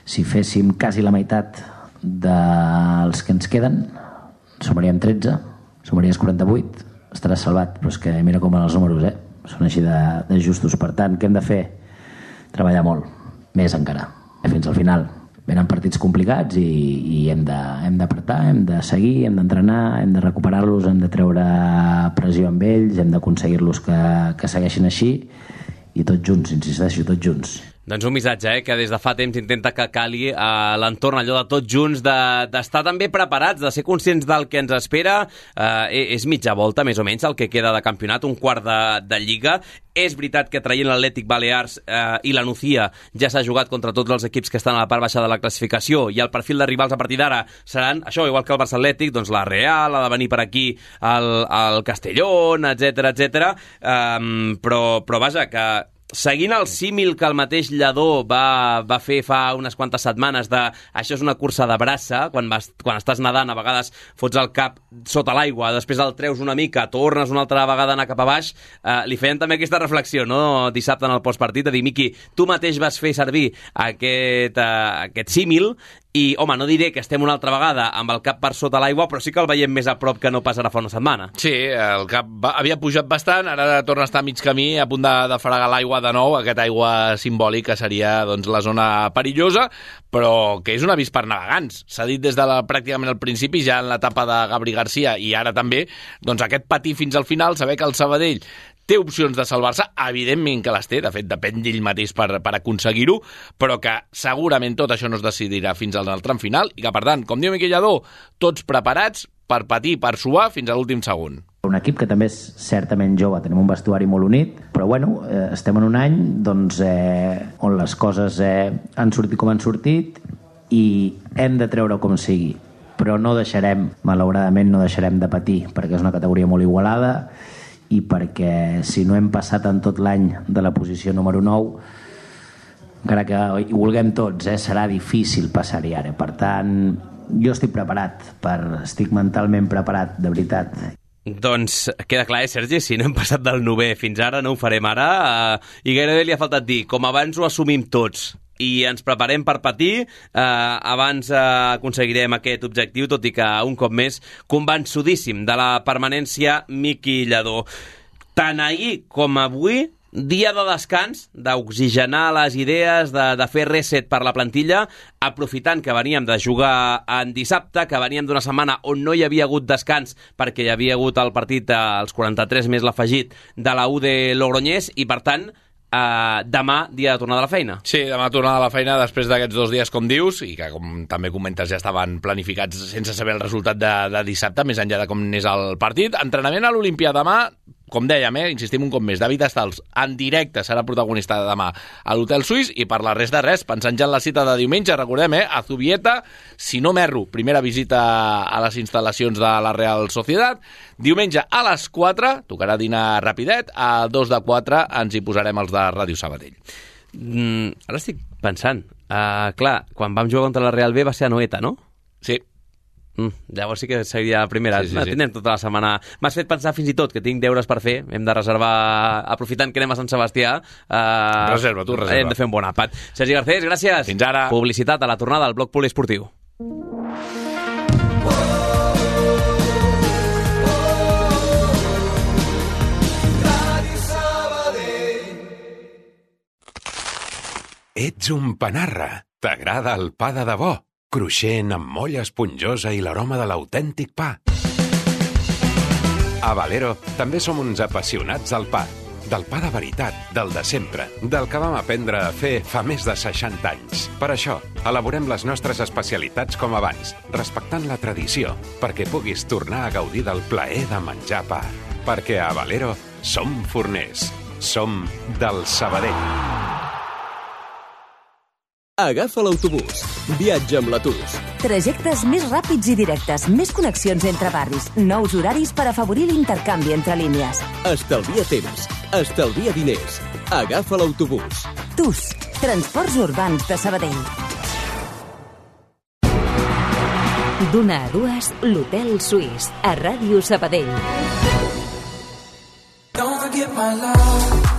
Si féssim quasi la meitat dels que ens queden, sumaríem tretze, sumaries quaranta-vuit, estaràs salvat, però és que mira com van els números, eh? Són així de, de justos. Per tant, què hem de fer? Treballar molt, més encara, fins al final. Venen partits complicats i, i hem de, hem d'apretar, hem de seguir, hem d'entrenar, hem de recuperar-los, hem de treure pressió amb ells, hem d'aconseguir-los que, que segueixin així i tots junts, insisteixo, tots junts. Doncs un missatge, eh, que des de fa temps intenta que cali a l'entorn allò de tots junts, d'estar de, també preparats, de ser conscients del que ens espera. Eh, és mitja volta, més o menys, el que queda de campionat, un quart de, de Lliga. És veritat que traient l'Atlètic Balears eh, i la Nucía ja s'ha jugat contra tots els equips que estan a la part baixa de la classificació i el perfil de rivals a partir d'ara seran, això, igual que el Barça Atlètic, doncs la Real, ha de venir per aquí el, el Castellón, etcètera, etcètera. Eh, però, però vaja, que seguint el símil que el mateix Lladó va, va fer fa unes quantes setmanes de això és una cursa de braça, quan, vas, quan estàs nedant a vegades fots el cap sota l'aigua, després el treus una mica, tornes una altra vegada a anar cap a baix, eh, li feien també aquesta reflexió, no?, dissabte en el postpartit, de dir, Miqui, tu mateix vas fer servir aquest, eh, aquest símil i, home, no diré que estem una altra vegada amb el cap per sota l'aigua, però sí que el veiem més a prop que no pas ara fa una setmana. Sí, el cap va, havia pujat bastant, ara torna a estar a mig camí, a punt de, de fregar l'aigua de nou, aquesta aigua simbòlica seria doncs, la zona perillosa, però que és un avís per navegants. S'ha dit des de la, pràcticament al principi, ja en l'etapa de Gabri Garcia, i ara també, doncs aquest patir fins al final, saber que el Sabadell té opcions de salvar-se, evidentment que les té, de fet depèn d'ell mateix per, per aconseguir-ho, però que segurament tot això no es decidirà fins al tram final i que, per tant, com diu Miqui Lladó, tots preparats per patir, per suar fins a l'últim segon. Un equip que també és certament jove, tenim un vestuari molt unit, però bueno, eh, estem en un any doncs, eh, on les coses eh, han sortit com han sortit i hem de treure com sigui, però no deixarem, malauradament no deixarem de patir, perquè és una categoria molt igualada i perquè si no hem passat en tot l'any de la posició número nou, encara que hi vulguem tots, eh, serà difícil passar-hi ara. Per tant, jo estic preparat, per, estic mentalment preparat, de veritat. Doncs queda clar, eh, Sergi, si no hem passat del novè fins ara, no ho farem ara, eh, i gairebé li ha faltat dir, com abans ho assumim tots, i ens preparem per patir, eh, abans eh, aconseguirem aquest objectiu, tot i que un cop més convençudíssim de la permanència Miqui Lladó. Tant ahir com avui, dia de descans, d'oxigenar les idees, de, de fer reset per la plantilla, aprofitant que veníem de jugar en dissabte, que veníem d'una setmana on no hi havia hagut descans perquè hi havia hagut el partit als quaranta-tres més l'afegit de la U de Logroñés i, per tant, Uh, demà, dia de tornada a la feina. Sí, demà tornada a la feina després d'aquests dos dies, com dius, i que, com també comentes, ja estaven planificats sense saber el resultat de, de dissabte, més enllà de com n'és el partit. Entrenament a l'Olimpia demà, com dèiem, eh, insistim un cop més, David Estals en directe serà protagonista demà a l'Hotel Suís, i per la resta res, pensant ja en la cita de diumenge, recordem, eh, a Zubieta, si no m'erro, primera visita a les instal·lacions de la Real Sociedad, diumenge a les quatre, tocarà dinar rapidet, a dos de quatre ens hi posarem els de Ràdio Sabadell. Mm, ara estic pensant, uh, clar, quan vam jugar contra la Real B va ser a Noeta, no? Sí. Mm, llavors sí que seria la primera. Sí, sí, sí. Tindrem tota la setmana. M'has fet pensar fins i tot que tinc deures per fer. Hem de reservar, aprofitant que anem a Sant Sebastià. Uh, reserva, tu reserva. Hem de fer un bon àpat. Sergi Garcés, gràcies. Fins ara. Publicitat a la tornada al bloc poliesportiu. Ets un panarra. T'agrada el pa de debò? Cruixent, amb molla esponjosa i l'aroma de l'autèntic pa. A Valero també som uns apassionats del pa. del pa de veritat, del de sempre, del que vam aprendre a fer fa més de seixanta anys. Per això, elaborem les nostres especialitats com abans, respectant la tradició, perquè puguis tornar a gaudir del plaer de menjar pa. Perquè a Valero som forners. Som del Sabadell. Agafa l'autobús. Viatja amb l'Atus. Trajectes més ràpids i directes, més connexions entre barris, nous horaris per afavorir l'intercanvi entre línies. Estalvia temps, estalvia diners. Agafa l'autobús. Tus, Transports Urbans de Sabadell. D'una a dues, l'Hotel Suís, a Ràdio Sabadell. Don't forget my love.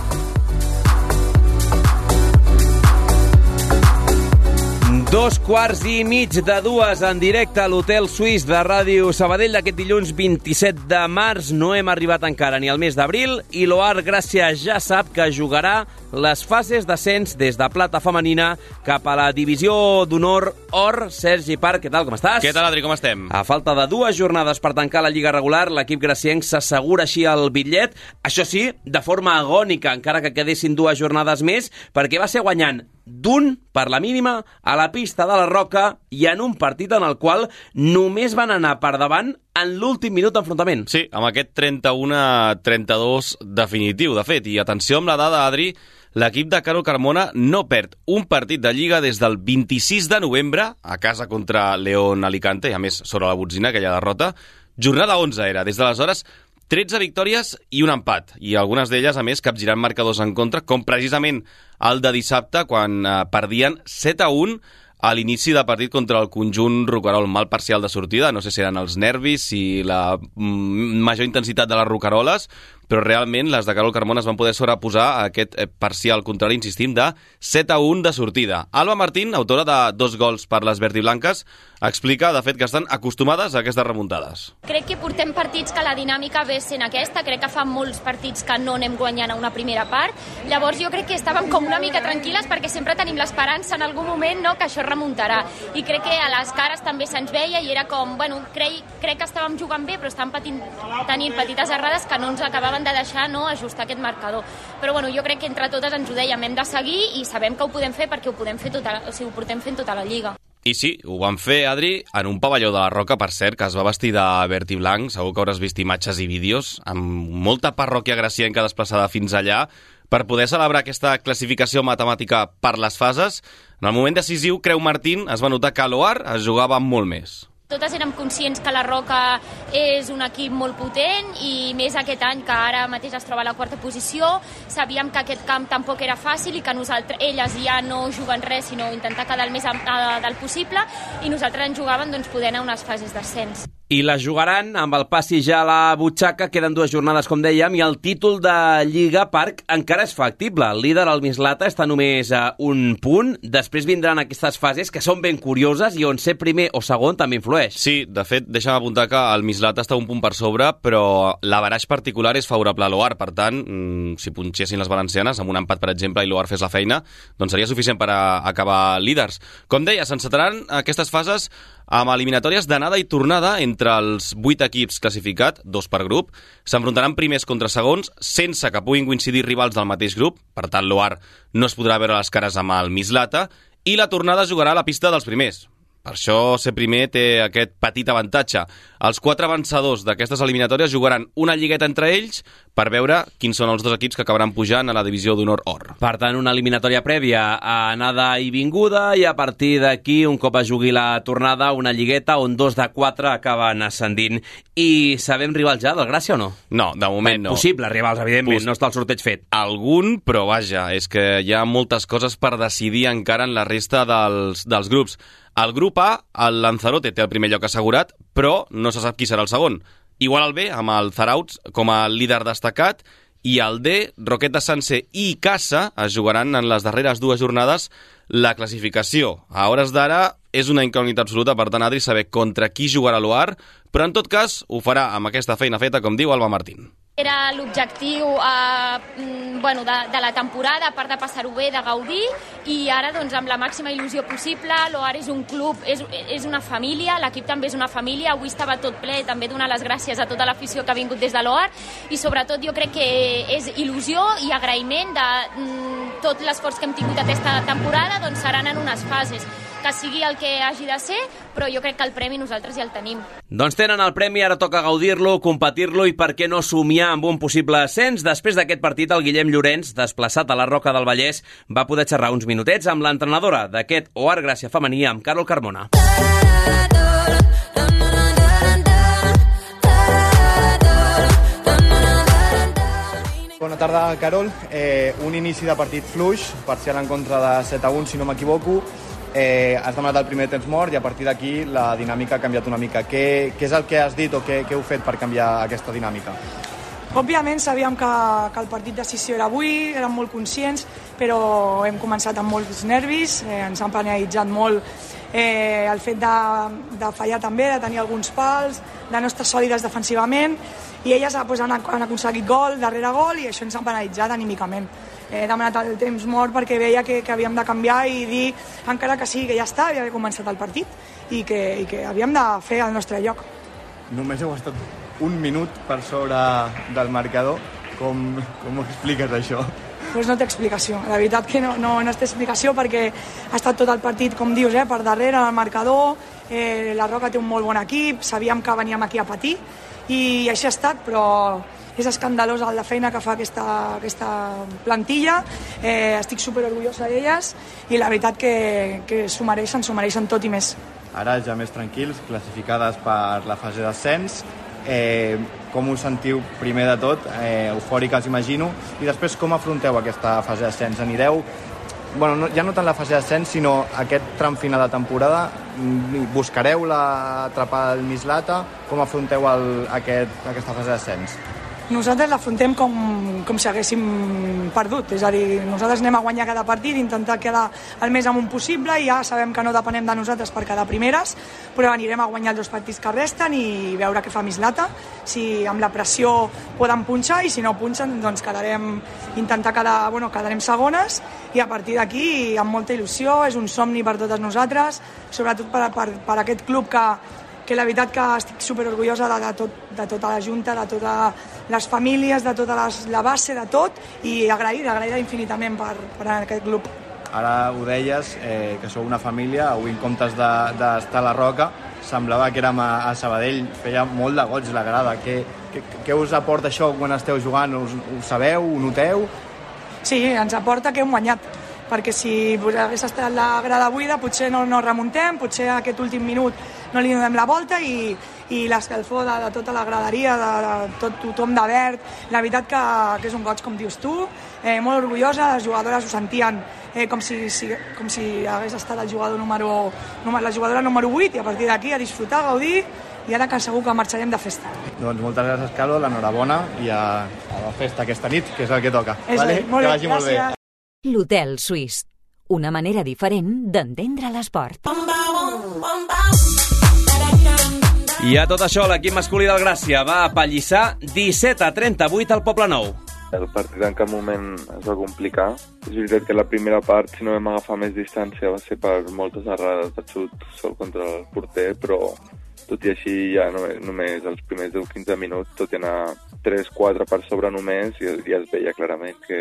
Dos quarts i mig de dues en directe a l'Hotel Suís de Ràdio Sabadell d'aquest dilluns vint-i-set de març. No hem arribat encara ni al mes d'abril i l'Oar Gràcia ja sap que jugarà les fases d'ascens des de plata femenina cap a la divisió d'honor or. Sergi Parc, què tal, com estàs? Què tal, Adri, com estem? A falta de dues jornades per tancar la Lliga regular, l'equip gracienc s'assegura així el bitllet, això sí, de forma agònica, encara que quedessin dues jornades més, perquè va ser guanyant d'un per la mínima a la pista de la Roca i en un partit en el qual només van anar per davant en l'últim minut d'enfrontament. Sí, amb aquest trenta-u a trenta-dos definitiu, de fet. I atenció amb la dada, Adri, l'equip de Carol Carmona no perd un partit de Lliga des del vint-i-sis de novembre a casa contra León Alicante, i a més sobre la botzina, aquella derrota. Jornada onze era, des d'aleshores tretze victòries i un empat, i algunes d'elles, a més, capgirant marcadors en contra, com precisament el de dissabte, quan eh, perdien set a un a l'inici de partit contra el conjunt roquerol. Mal parcial de sortida, no sé si eren els nervis, si la mm, major intensitat de les roqueroles, però realment les de Carol Carmona es van poder sobreposar a aquest eh, parcial contrari, insistim, de set a un de sortida. Alba Martín, autora de dos gols per les verdiblanques, explica, de fet, que estan acostumades a aquestes remuntades. Crec que portem partits que la dinàmica ve sent aquesta, crec que fa molts partits que no anem guanyant a una primera part, llavors jo crec que estàvem com una mica tranquil·les perquè sempre tenim l'esperança en algun moment, no?, que això remuntarà, i crec que a les cares també se'ns veia i era com, bueno, crec, crec que estàvem jugant bé però estàvem patint, tenint petites errades que no ens acabaven de deixar, no, ajustar aquest marcador, però bueno, jo crec que entre totes ens ho dèiem, hem de seguir i sabem que ho podem fer perquè ho podem fer tota, o sigui, ho portem fent tota la Lliga. I sí, ho van fer, Adri, en un pavelló de la Roca, per cert, que es va vestir de verd i blanc. Segur que hauràs vist imatges i vídeos, amb molta parròquia gracienca desplaçada fins allà, per poder celebrar aquesta classificació matemàtica per les fases. En el moment decisiu, creu Martín, es va notar que a l'Oar es jugava molt més. Totes érem conscients que la Roca és un equip molt potent i més aquest any que ara mateix es troba a la quarta posició. Sabíem que aquest camp tampoc era fàcil i que nosaltres, elles ja no juguen res sinó intentar quedar el més a, a, del possible i nosaltres en jugàvem doncs, poder anar a unes fases d'ascens. I la jugaran amb el passi ja a la butxaca, queden dues jornades, com dèiem, i el títol de Lliga Parc encara és factible. El líder, el Mislata, està només a un punt. Després vindran aquestes fases que són ben curioses i on ser primer o segon també influeix. Sí, de fet, deixa'm apuntar que el Mislata està un punt per sobre, però l'averaix particular és favorable a l'Oar. Per tant, si punxessin les valencianes, amb un empat, per exemple, i l'Oar fes la feina, doncs seria suficient per a acabar líders. Com deia, s'encetaran aquestes fases amb eliminatòries d'anada i tornada entre els vuit equips classificats, dos per grup. S'enfrontaran primers contra segons sense que puguin coincidir rivals del mateix grup, per tant l'Oar no es podrà veure les cares amb el Mislata, i la tornada jugarà a la pista dels primers. Per això ser primer té aquest petit avantatge. Els quatre vencedors d'aquestes eliminatòries jugaran una lligueta entre ells per veure quins són els dos equips que acabaran pujant a la divisió d'honor or. Per tant, una eliminatòria prèvia a anada i vinguda, i a partir d'aquí, un cop es jugui la tornada, una lligueta on dos de quatre acaben ascendint. I sabem rivals ja del Gràcia o no? No, de moment no. Possibles rivals, evidentment, Pos... no està el sorteig fet. Algun, però vaja, és que hi ha moltes coses per decidir encara en la resta dels, dels grups. Al grup A, el Lanzarote té el primer lloc assegurat, però no se sap qui serà el segon. Igual al B, amb el Zarauts com a líder destacat, i al D, Roqueta Sanse i Casa es jugaran en les darreres dues jornades la classificació. A hores d'ara és una incògnita absoluta, per tant, Adri, saber contra qui jugarà l'Oar, però en tot cas ho farà amb aquesta feina feta, com diu Alba Martín. Era l'objectiu eh, bueno, de, de la temporada, a part de passar-ho bé, de gaudir, i ara doncs, amb la màxima il·lusió possible. L'Oar és un club, és, és una família, l'equip també és una família, avui estava tot ple, també donar les gràcies a tota l'afició que ha vingut des de l'Oar, i sobretot jo crec que és il·lusió i agraïment de mm, tot l'esforç que hem tingut aquesta temporada, doncs seran en unes fases, que sigui el que hagi de ser, però jo crec que el premi nosaltres ja el tenim. Doncs tenen el premi, ara toca gaudir-lo, competir-lo i per què no somiar amb un possible ascens. Després d'aquest partit, el Guillem Llorenç, desplaçat a la Roca del Vallès, va poder xerrar uns minutets amb l'entrenadora d'aquest Oar Gràcia femení, amb Carol Carmona. Bona tarda, Carol. Eh, un inici de partit fluix, parcial en contra de set a un, si no m'equivoco. Eh, has demanat el primer temps mort i a partir d'aquí la dinàmica ha canviat una mica. Què, què és el que has dit o què, què heu fet per canviar aquesta dinàmica? Òbviament sabíem que, que el partit de decisió era avui, érem molt conscients, però hem començat amb molts nervis, eh, ens han penalitzat molt eh, el fet de, de fallar també, de tenir alguns pals, de no estar sòlides defensivament, i elles pues, han, han aconseguit gol darrere gol i això ens ha penalitzat anímicament. He demanat el temps mort perquè veia que, que havíem de canviar i dir, encara que sí, que ja està, havia començat el partit i que, i que havíem de fer el nostre lloc. Només heu estat un minut per sobre del marcador. Com, com ho expliques, això? Pues no té explicació. La veritat que no, no, no té explicació perquè ha estat tot el partit, com dius, eh, per darrere, el marcador. Eh, la Roca té un molt bon equip, sabíem que veníem aquí a patir i així ha estat, però és escandalosa la feina que fa aquesta, aquesta plantilla. Eh, estic superorgullosa d'elles i la veritat que, que s'ho mereixen, s'ho mereixen tot i més. Ara ja més tranquils, classificades per la fase d'ascens. Eh, com us sentiu primer de tot? Eh, eufòriques, imagino. I després com afronteu aquesta fase d'ascens? Anireu, bueno, no, ja no tant la fase d'ascens, sinó aquest tram final de temporada. Buscareu la atrapada del Mislata? Com afronteu el, aquest, aquesta fase d'ascens? Nosaltres l'afrontem com, com si haguéssim perdut, és a dir, nosaltres anem a guanyar cada partit, intentar quedar el més amunt possible i ja sabem que no depenem de nosaltres per quedar primeres, però anirem a guanyar els dos partits que resten i veure què fa Mislata, si amb la pressió poden punxar i si no punxen doncs quedarem, intentar quedar, bueno, quedarem segones i a partir d'aquí amb molta il·lusió, és un somni per totes nosaltres, sobretot per, per, per aquest club que que la veritat que estic superorgullosa de, de, tot, de tota la Junta, de totes les famílies, de tota les, la base, de tot, i agraïda, agraïda infinitament per, per aquest club. Ara ho deies, eh, que sou una família, avui en comptes d'estar de, a la Roca, semblava que érem a, a Sabadell, feia molt de goig la grada. Què, què, què us aporta això quan esteu jugant? Us, ho sabeu, ho noteu? Sí, ens aporta que hem guanyat, perquè si hagués estat la grada buida potser no, no remuntem, potser aquest últim minut no li donem la volta i, i l'escalfor de, de tota la graderia, de, de tot tothom de verd, la veritat que, que és un goig, com dius tu, eh, molt orgullosa, les jugadores ho sentien eh, com, si, si, com si hagués estat el jugador número, la jugadora número vuit i a partir d'aquí a disfrutar, a gaudir i ara que segur que marxarem de festa. Doncs moltes gràcies, Carol, l'enhorabona i a, a la festa aquesta nit, que és el que toca. És vale? Molt que bé, vagi molt bé. L'Hotel Suís, una manera diferent d'entendre l'esport. I a tot això, l'equip masculí del Gràcia va apallissar disset a trenta-vuit al Poblenou. El partit en cap moment es va complicar. És veritat que la primera part, si no vam agafar més distància, va ser per moltes errades de xut sol contra el porter, però tot i així ja només, només els primers deu quinze minuts, tot i anar tres quatre per sobre només, i ja es veia clarament que,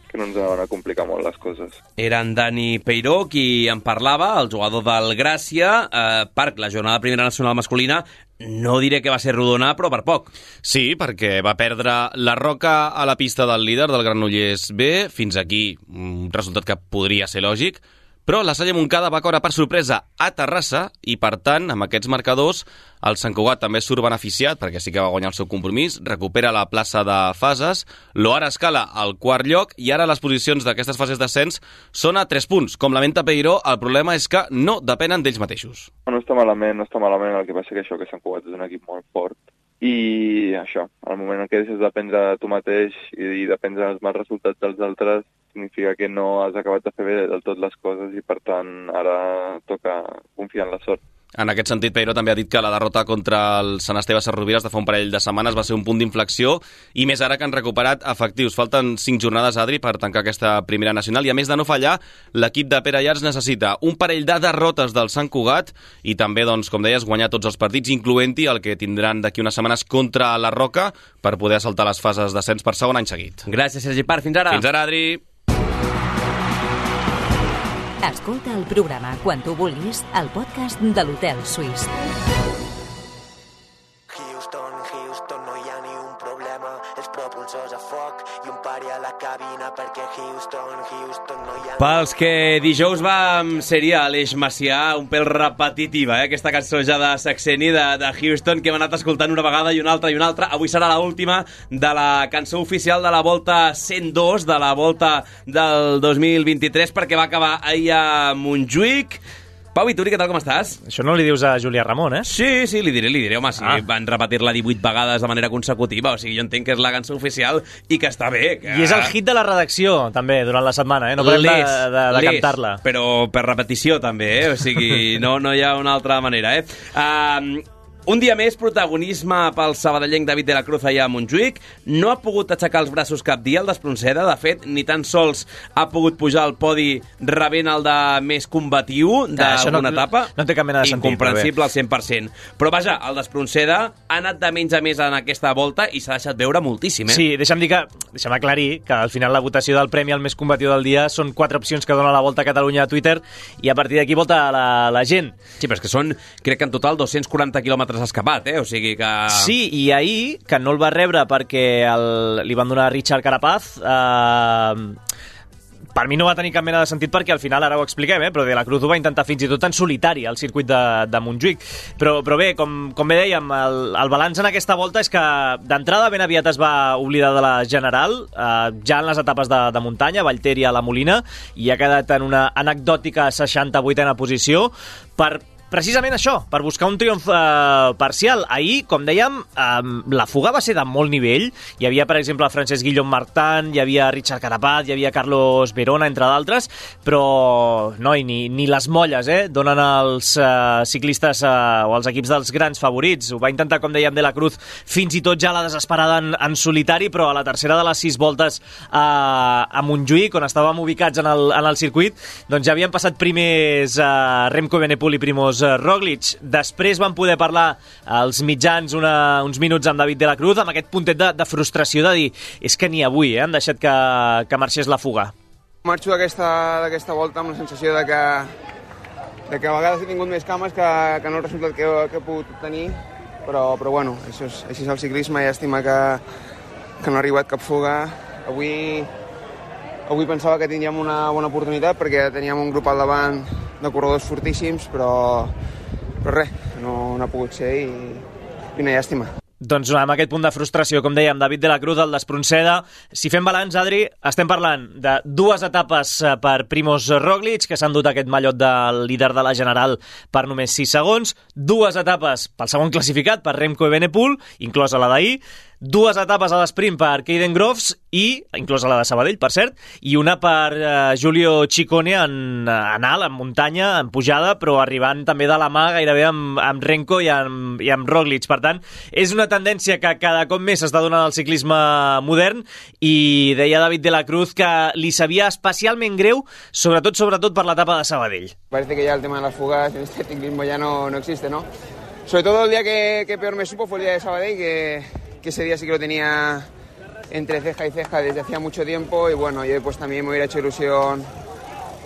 que no ens anaven a complicar molt les coses. Era en Dani Peiró qui en parlava, el jugador del Gràcia, eh, per la jornada de primera nacional masculina. No diré que va ser rodona, però per poc. Sí, perquè va perdre la Roca a la pista del líder del Granollers B. Fins aquí, un resultat que podria ser lògic. Però la Salle Montcada va caure per sorpresa a Terrassa i, per tant, amb aquests marcadors, el Sant Cugat també surt beneficiat, perquè sí que va guanyar el seu compromís, recupera la plaça de fases, l'Oar escala al quart lloc i ara les posicions d'aquestes fases d'ascens són a tres punts. Com lamenta Peiró, el problema és que no depenen d'ells mateixos. No està malament, no està malament, el que passa que això, que Sant Cugat és un equip molt fort. I això, al moment en què deixes de dependre de tu mateix i dependre dels mals resultats dels altres, significa que no has acabat de fer bé del tot les coses i, per tant, ara toca confiar en la sort. En aquest sentit, Peiró també ha dit que la derrota contra el Sant Esteve Sesrovires de fa un parell de setmanes va ser un punt d'inflexió i més ara que han recuperat efectius. Falten cinc jornades, Adri, per tancar aquesta primera nacional i a més de no fallar, l'equip de Pere Llars necessita un parell de derrotes del Sant Cugat i també, doncs, com deies, guanyar tots els partits, incloent-hi el que tindran d'aquí unes setmanes contra la Roca per poder saltar les fases d'ascens per segon any seguit. Gràcies, Sergi Parr. Fins ara. Fins ara, Adri. Escolta el programa quan tu vulguis al podcast de l'Hotel Suís. Houston, Houston, no hi ha ni un problema, els propulsors a foc i un pari a la cabina perquè Houston, Houston, no hi ha... Pels que dijous vam ser-hi a l'Eix Macià, un pèl repetitiva, eh? Aquesta cançó ja de Saxeni, de, de Houston, que hem anat escoltant una vegada i una altra i una altra. Avui serà l'última de la cançó oficial de la Volta cent dos, de la Volta del dos mil vint-i-tres, perquè va acabar ahir a Montjuïc. Pau Vituri, què tal, com estàs? Això no li dius a Julià Ramon, eh? Sí, sí, li diré, li diré, home, si ah. van repetir-la divuit vegades de manera consecutiva, o sigui, jo entenc que és la cançó oficial i que està bé. Que... I és el hit de la redacció, també, durant la setmana, eh? No parem de, de, de cantar-la. Però per repetició, també, eh? O sigui, no, no hi ha una altra manera, eh? Um, Un dia més, protagonisme pel sabadellenc David de la Cruz allà a Montjuïc. No ha pogut aixecar els braços cap dia el d'Espronceda. De fet, ni tan sols ha pogut pujar al podi rebent el de més combatiu d'alguna no, etapa. No té cap mena de sentit. Incomprensible al cent per cent. Però vaja, el d'Espronceda ha anat de menys a més en aquesta volta i s'ha deixat veure moltíssim, eh? Sí, deixa'm dir que, deixa'm aclarir que al final la votació del premi al més combatiu del dia són quatre opcions que dona la Volta a Catalunya a Twitter i a partir d'aquí vota la, la gent. Sí, però és que són, crec que en total, dos-cents quaranta quilòmetres escapat, eh? O sigui que... Sí, i ahir, que no el va rebre perquè el, li van donar a Richard Carapaz, eh, per mi no va tenir cap mena de sentit perquè al final, ara ho expliquem, eh, però de la Cruz ho va intentar fins i tot en solitari al circuit de, de Montjuïc. Però, però bé, com, com bé dèiem, el, el balanç en aquesta volta és que d'entrada ben aviat es va oblidar de la General, eh, ja en les etapes de, de muntanya, Vallter i a la Molina, i ha quedat en una anecdòtica seixanta-vuitena posició per precisament això, per buscar un triomf eh, parcial. Ahir, com dèiem, eh, la fuga va ser de molt nivell. Hi havia, per exemple, Francesc Guillaume Martin, hi havia Richard Carapaz, hi havia Carlos Verona, entre d'altres, però noi, ni, ni les molles eh, donen als eh, ciclistes eh, o als equips dels grans favorits. Ho va intentar, com dèiem, de la Cruz, fins i tot ja la desesperada en, en solitari, però a la tercera de les sis voltes eh, a Montjuïc, on estàvem ubicats en el, en el circuit, doncs ja havien passat primers eh, Remco Evenepoel i Primož Roglic. Després van poder parlar als mitjans una, uns minuts amb David de la Cruz, amb aquest puntet de, de frustració de dir és que ni avui eh, han deixat que, que marxés la fuga. Marxo d'aquesta volta amb la sensació de que, de que a vegades he tingut més cames que, que no el resultat que, que he pogut tenir, però, però bueno, això és, així és el ciclisme, llàstima que, que no ha arribat cap fuga. Avui, avui pensava que tindríem una bona oportunitat perquè teníem un grup al davant de corredors fortíssims, però, però res, no, no ha pogut ser i, i una llàstima. Doncs amb aquest punt de frustració, com dèiem, David de la Cruz, el d'Espronceda. Si fem balanç, Adri, estem parlant de dues etapes per Primož Roglic, que s'han dut aquest mallot del líder de la General per només sis segons, dues etapes pel segon classificat, per Remco Evenepoel, inclosa la d'ahir, dues etapes a l'esprint per Caden Groves i, inclosa la de Sabadell, per cert, i una per uh, Giulio Ciccone en, en alt, en muntanya, en pujada, però arribant també de la mà gairebé amb, amb Remco i amb, i amb Roglic. Per tant, és una tendència que cada cop més s'està donant al ciclisme modern i deia David de la Cruz que li sabia especialment greu, sobretot sobretot per l'etapa de Sabadell. Parece que ya el tema de las fugas en este ciclismo ya no, no existe, ¿no? Sobre todo el día que, que peor me supo fue el día de Sabadell, que que ese día sí que lo tenía entre ceja y ceja desde hacía mucho tiempo y bueno, yo pues también me hubiera hecho ilusión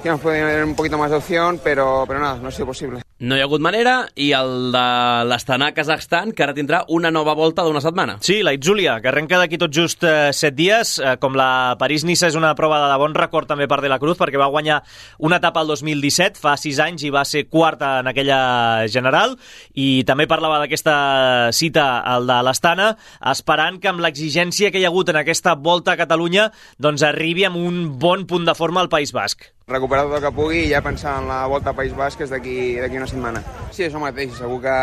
que nos podían tener un poquito más de opción, pero, pero nada, no ha sido posible. No hi ha hagut manera, i el de l'Astana Kazakhstan, que ara tindrà una nova volta d'una setmana. Sí, la Itzulia, que arrenca d'aquí tot just eh, set dies. Eh, com la París-Niça és una prova de bon record també per De la Cruz, perquè va guanyar una etapa el dos mil disset, fa sis anys, i va ser quarta en aquella general, i també parlava d'aquesta cita, el de l'Astana, esperant que amb l'exigència que hi ha hagut en aquesta volta a Catalunya, doncs arribi amb un bon punt de forma al País Basc. Recuperar tot el que pugui i ja pensar en la volta al País Basc és d'aquí una setmana. Sí, això mateix, segur que,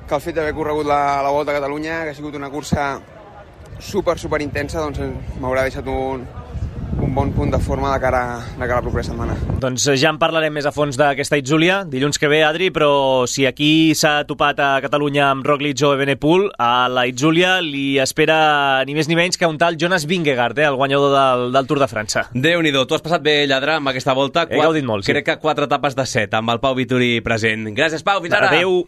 que el fet d'haver corregut la, la volta a Catalunya, que ha sigut una cursa super, super intensa, doncs m'haurà deixat un, un bon punt de forma de cara, de cara a la propera setmana. Doncs ja en parlarem més a fons d'aquesta Itzúlia dilluns que ve, Adri, però si aquí s'ha topat a Catalunya amb Roglic o Evenepoel, a la Itzúlia li espera ni més ni menys que un tal Jonas Vingegaard, eh, el guanyador del, del Tour de França. Déu-n'hi-do, tu has passat bé, Lladre, amb aquesta volta. He gaudit molt, sí. Crec que quatre etapes de set, amb el Pau Vituri present. Gràcies, Pau, fins ara. Adéu.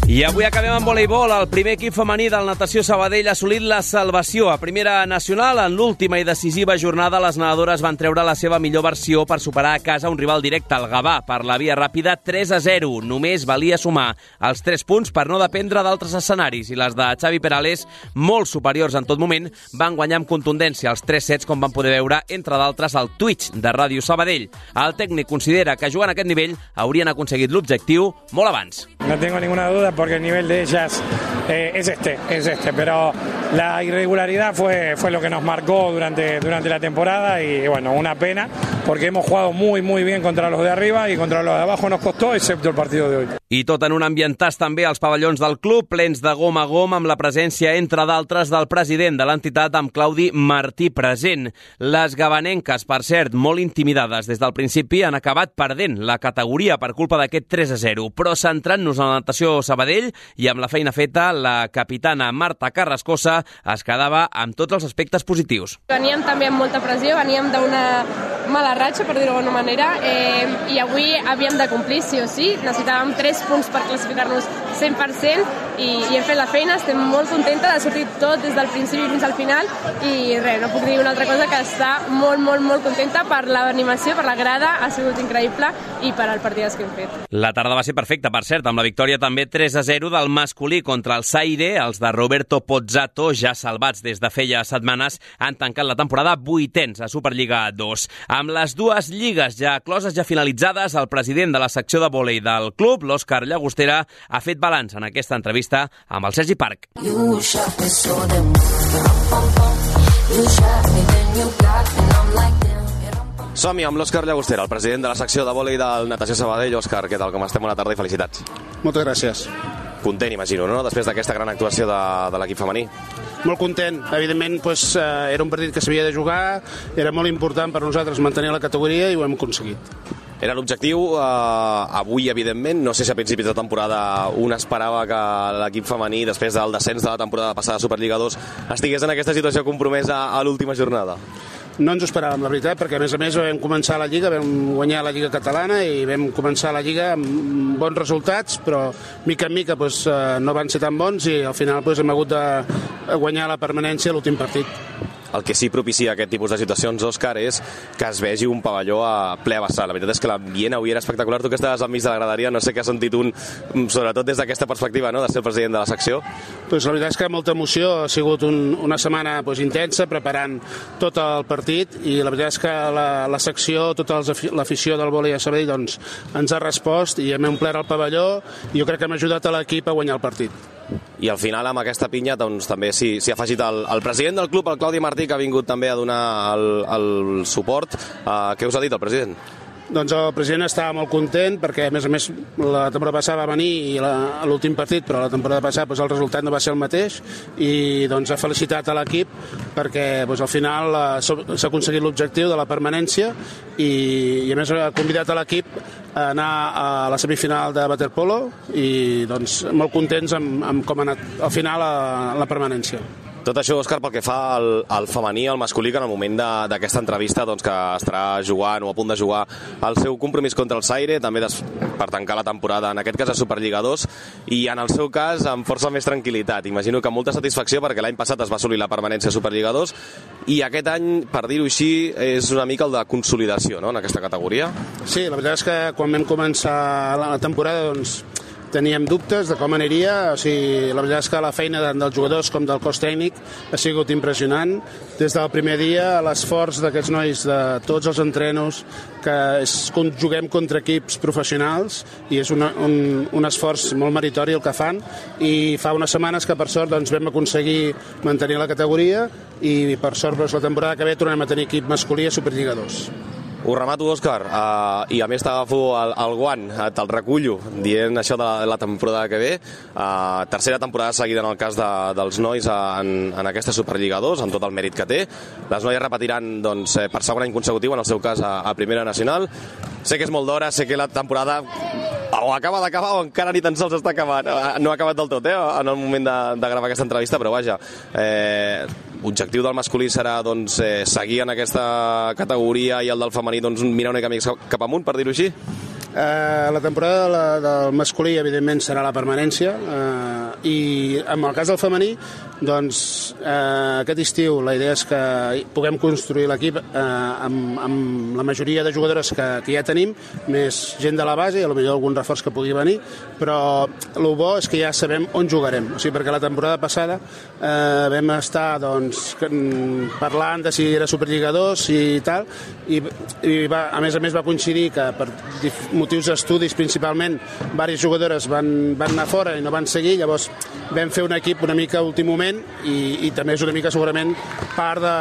I avui acabem amb voleibol. El primer equip femení del Natació Sabadell ha assolit la salvació. A primera nacional, en l'última i decisiva jornada, les nedadores van treure la seva millor versió per superar a casa un rival directe, el Gavà, per la via ràpida tres a zero. Només valia sumar els tres punts per no dependre d'altres escenaris, i les de Xavi Perales, molt superiors en tot moment, van guanyar amb contundència els tres sets, com van poder veure, entre d'altres, al Twitch de Ràdio Sabadell. El tècnic considera que jugant a aquest nivell haurien aconseguit l'objectiu molt abans. No tengo ninguna duda porque el nivel de ellas eh, es este, es este, pero la irregularidad fue, fue lo que nos marcó durante, durante la temporada y bueno, una pena porque hemos jugado muy muy bien contra los de arriba y contra los de abajo nos costó, excepto el partido de hoy. I tot en un ambientàs també als pavellons del club, plens de gom a gom, amb la presència, entre d'altres, del president de l'entitat, amb Claudi Martí present. Les gavanenques, per cert, molt intimidades des del principi, han acabat perdent la categoria per culpa d'aquest tres a zero. Però centrant-nos en la natació Sabadell i amb la feina feta, la capitana Marta Carrascosa es quedava amb tots els aspectes positius. Veníem també amb molta pressió, veníem d'una mala ratxa, per dir-ho d'alguna manera, eh, i avui havíem de complir, sí o sí. Necessitàvem tres punts per classificar-nos cent per cent i, i hem fet la feina. Estem molt contenta de sortir tot des del principi fins al final i res, no puc dir una altra cosa que està molt, molt, molt contenta per l'animació, per la grada, ha sigut increïble i per al partidàs que hem fet. La tarda va ser perfecta, per cert, amb la victòria també tres a zero del masculí contra el Zaire. Els de Roberto Pozzato, ja salvats des de feia setmanes, han tancat la temporada vuitens a Superliga dos. Amb les dues lligues ja closes, ja finalitzades, el president de la secció de vòlei del club, l'Òscar Llagostera, ha fet balanç en aquesta entrevista amb el Sergi Parc. Som-hi amb l'Òscar Llagostera, el president de la secció de vòlei del Natació Sabadell. Òscar, què tal, com estem? Bona tarda i felicitats. Moltes gràcies. Content, imagino, no?, després d'aquesta gran actuació de, de l'equip femení. Molt content. Evidentment, pues, eh, era un partit que s'havia de jugar, era molt important per nosaltres mantenir la categoria i ho hem aconseguit. Era l'objectiu, eh, avui, evidentment. No sé si a principis de temporada un esperava que l'equip femení, després del descens de la temporada passada de Superliga dos, estigués en aquesta situació compromesa a l'última jornada. No ens ho esperàvem, la veritat, perquè a més a més vam començar la Lliga, vam guanyar la Lliga Catalana i vam començar la Lliga amb bons resultats, però mica en mica pues, no van ser tan bons i al final pues, hem hagut de guanyar la permanència a l'últim partit. El que sí propicia aquest tipus de situacions, Òscar, és que es vegi un pavelló a ple vessar. La veritat és que l'ambient avui era espectacular. Tu que estaves al mig de la graderia, no sé què has sentit un, sobretot des d'aquesta perspectiva, no?, de ser el president de la secció. Pues la veritat és que molta emoció, ha sigut un, una setmana pues, intensa, preparant tot el partit, i la veritat és que la, la secció, tota l'afició del vòlei a Sabadell doncs, ens ha respost i hem omplert el pavelló i jo crec que hem ajudat a l'equip a guanyar el partit. I al final, amb aquesta pinya, doncs, també s'hi ha afegit el, el president del club, el Claudi Martí, que ha vingut també a donar el, el suport. Uh, què us ha dit el president? Doncs el president estava molt content perquè, a més a més, la temporada passada va venir i l'últim partit, però la temporada passada doncs, el resultat no va ser el mateix i doncs, ha felicitat a l'equip perquè doncs, al final s'ha aconseguit l'objectiu de la permanència i, i a més ha convidat a l'equip a anar a la semifinal de waterpolo i doncs, molt contents amb, amb com ha anat al final la, la permanència. Tot això, Òscar, pel que fa al, al femení i al masculí, que en el moment d'aquesta entrevista doncs, que estarà jugant o a punt de jugar el seu compromís contra el Zaire, també des, per tancar la temporada, en aquest cas a Superliga dos, i en el seu cas amb força més tranquil·litat. Imagino que amb molta satisfacció perquè l'any passat es va assolir la permanència a Superliga dos i aquest any, per dir-ho així, és una mica el de consolidació, no?, en aquesta categoria. Sí, la veritat és que quan vam començar la temporada doncs, teníem dubtes de com aniria, o sigui, la veritat és que la feina dels jugadors com del cos tècnic ha sigut impressionant. Des del primer dia, l'esforç d'aquests nois, de tots els entrenos, que és, juguem contra equips professionals i és una, un, un esforç molt meritori el que fan, i fa unes setmanes que per sort doncs, vam aconseguir mantenir la categoria i per sort doncs, la temporada que ve tornem a tenir equip masculí a Superliga dos. Ho remato, Òscar, uh, i a més t'agafo el, el guant, te'l recullo, dient això de la, la temporada que ve. Uh, tercera temporada seguida en el cas de, dels nois en, en aquesta Superliga dos, amb tot el mèrit que té. Les noies repetiran doncs, per segon any consecutiu, en el seu cas a, a Primera Nacional. Sé que és molt d'hora, sé que la temporada o acaba d'acabar o encara ni tan sols està acabant. No ha acabat del tot, eh, en el moment de, de gravar aquesta entrevista, però vaja, eh, l'objectiu del masculí serà doncs, eh, seguir en aquesta categoria i el del femení doncs, mirar una mica més cap amunt, per dir-ho així? Eh, la temporada de la, del masculí, evidentment, serà la permanència, eh, i en el cas del femení, doncs, eh, aquest estiu la idea és que puguem construir l'equip eh, amb, amb la majoria de jugadores que, que ja tenim, més gent de la base i potser algun reforç que pugui venir, però el bo és que ja sabem on jugarem, o sigui, perquè la temporada passada eh, vam estar doncs, parlant de si era Superliga dos i tal, i, i va, a més a més va coincidir que per motius d'estudis principalment diverses jugadores van, van anar fora i no van seguir, llavors vam fer un equip una mica a últim moment i, i també és una mica segurament part de,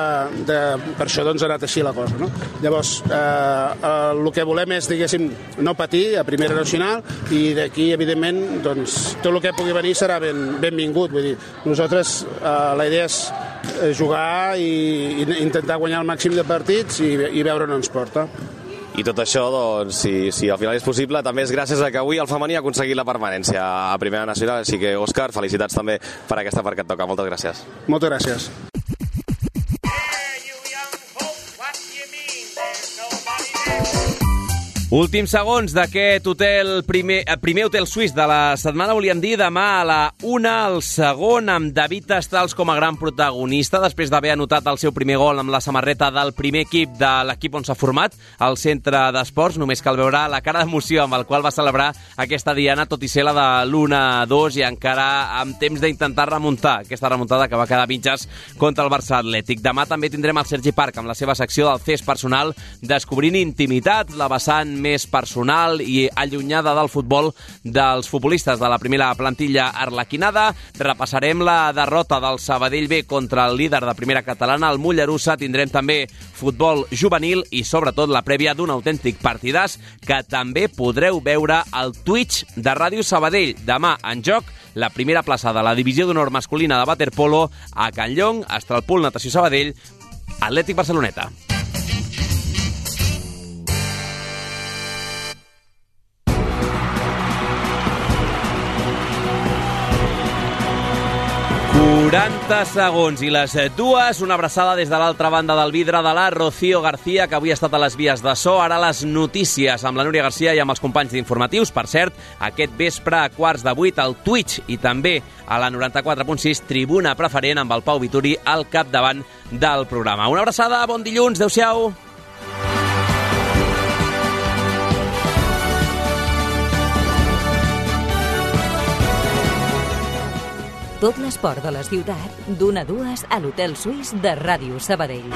de per això doncs ha anat així la cosa, no? Llavors eh, eh, el que volem és, diguéssim, no patir a Primera Nacional i d'aquí evidentment doncs tot el que pugui venir serà ben, benvingut, vull dir, nosaltres eh, la idea és jugar i, i intentar guanyar el màxim de partits i, i veure on ens porta. I tot això, doncs, si, si al final és possible, també és gràcies a que avui el femení ha aconseguit la permanència a Primera Nacional. Així que, Òscar, felicitats també per aquesta part que et toca. Moltes gràcies. Moltes gràcies. Últims segons d'aquest hotel, primer, primer hotel suís de la setmana, volíem dir, demà a la una, el segon, amb David Estals com a gran protagonista, després d'haver anotat el seu primer gol amb la samarreta del primer equip de l'equip on s'ha format, el centre d'esports. Només cal veure la cara d'emoció amb el qual va celebrar aquesta diana, tot i ser la de l'u a dos i encara amb temps d'intentar remuntar aquesta remuntada que va quedar mitges contra el Barça Atlètic. Demà també tindrem el Sergi Parc amb la seva secció del C E S personal, descobrint intimitat, la vessant més personal i allunyada del futbol dels futbolistes de la primera plantilla arlequinada. Repassarem la derrota del Sabadell B contra el líder de primera catalana, el Mollerussa. Tindrem també futbol juvenil i sobretot la prèvia d'un autèntic partidàs que també podreu veure al Twitch de Ràdio Sabadell. Demà en joc la primera plaça de la divisió d'honor masculina de waterpolo a Can Llong, Estralpul Natació Sabadell, Atlètic Barceloneta. quaranta segons i les dues, una abraçada des de l'altra banda del vidre de la Rocío García, que avui ha estat a les vies de so. Ara les notícies amb la Núria García i amb els companys d'informatius. Per cert, aquest vespre a quarts de vuit al Twitch i també a la noranta-quatre punt sis, Tribuna Preferent, amb el Pau Vituri al capdavant del programa. Una abraçada, bon dilluns, adeu-siau. Tot l'esport de la ciutat, d'una a dues a l'Hotel Suís de Ràdio Sabadell.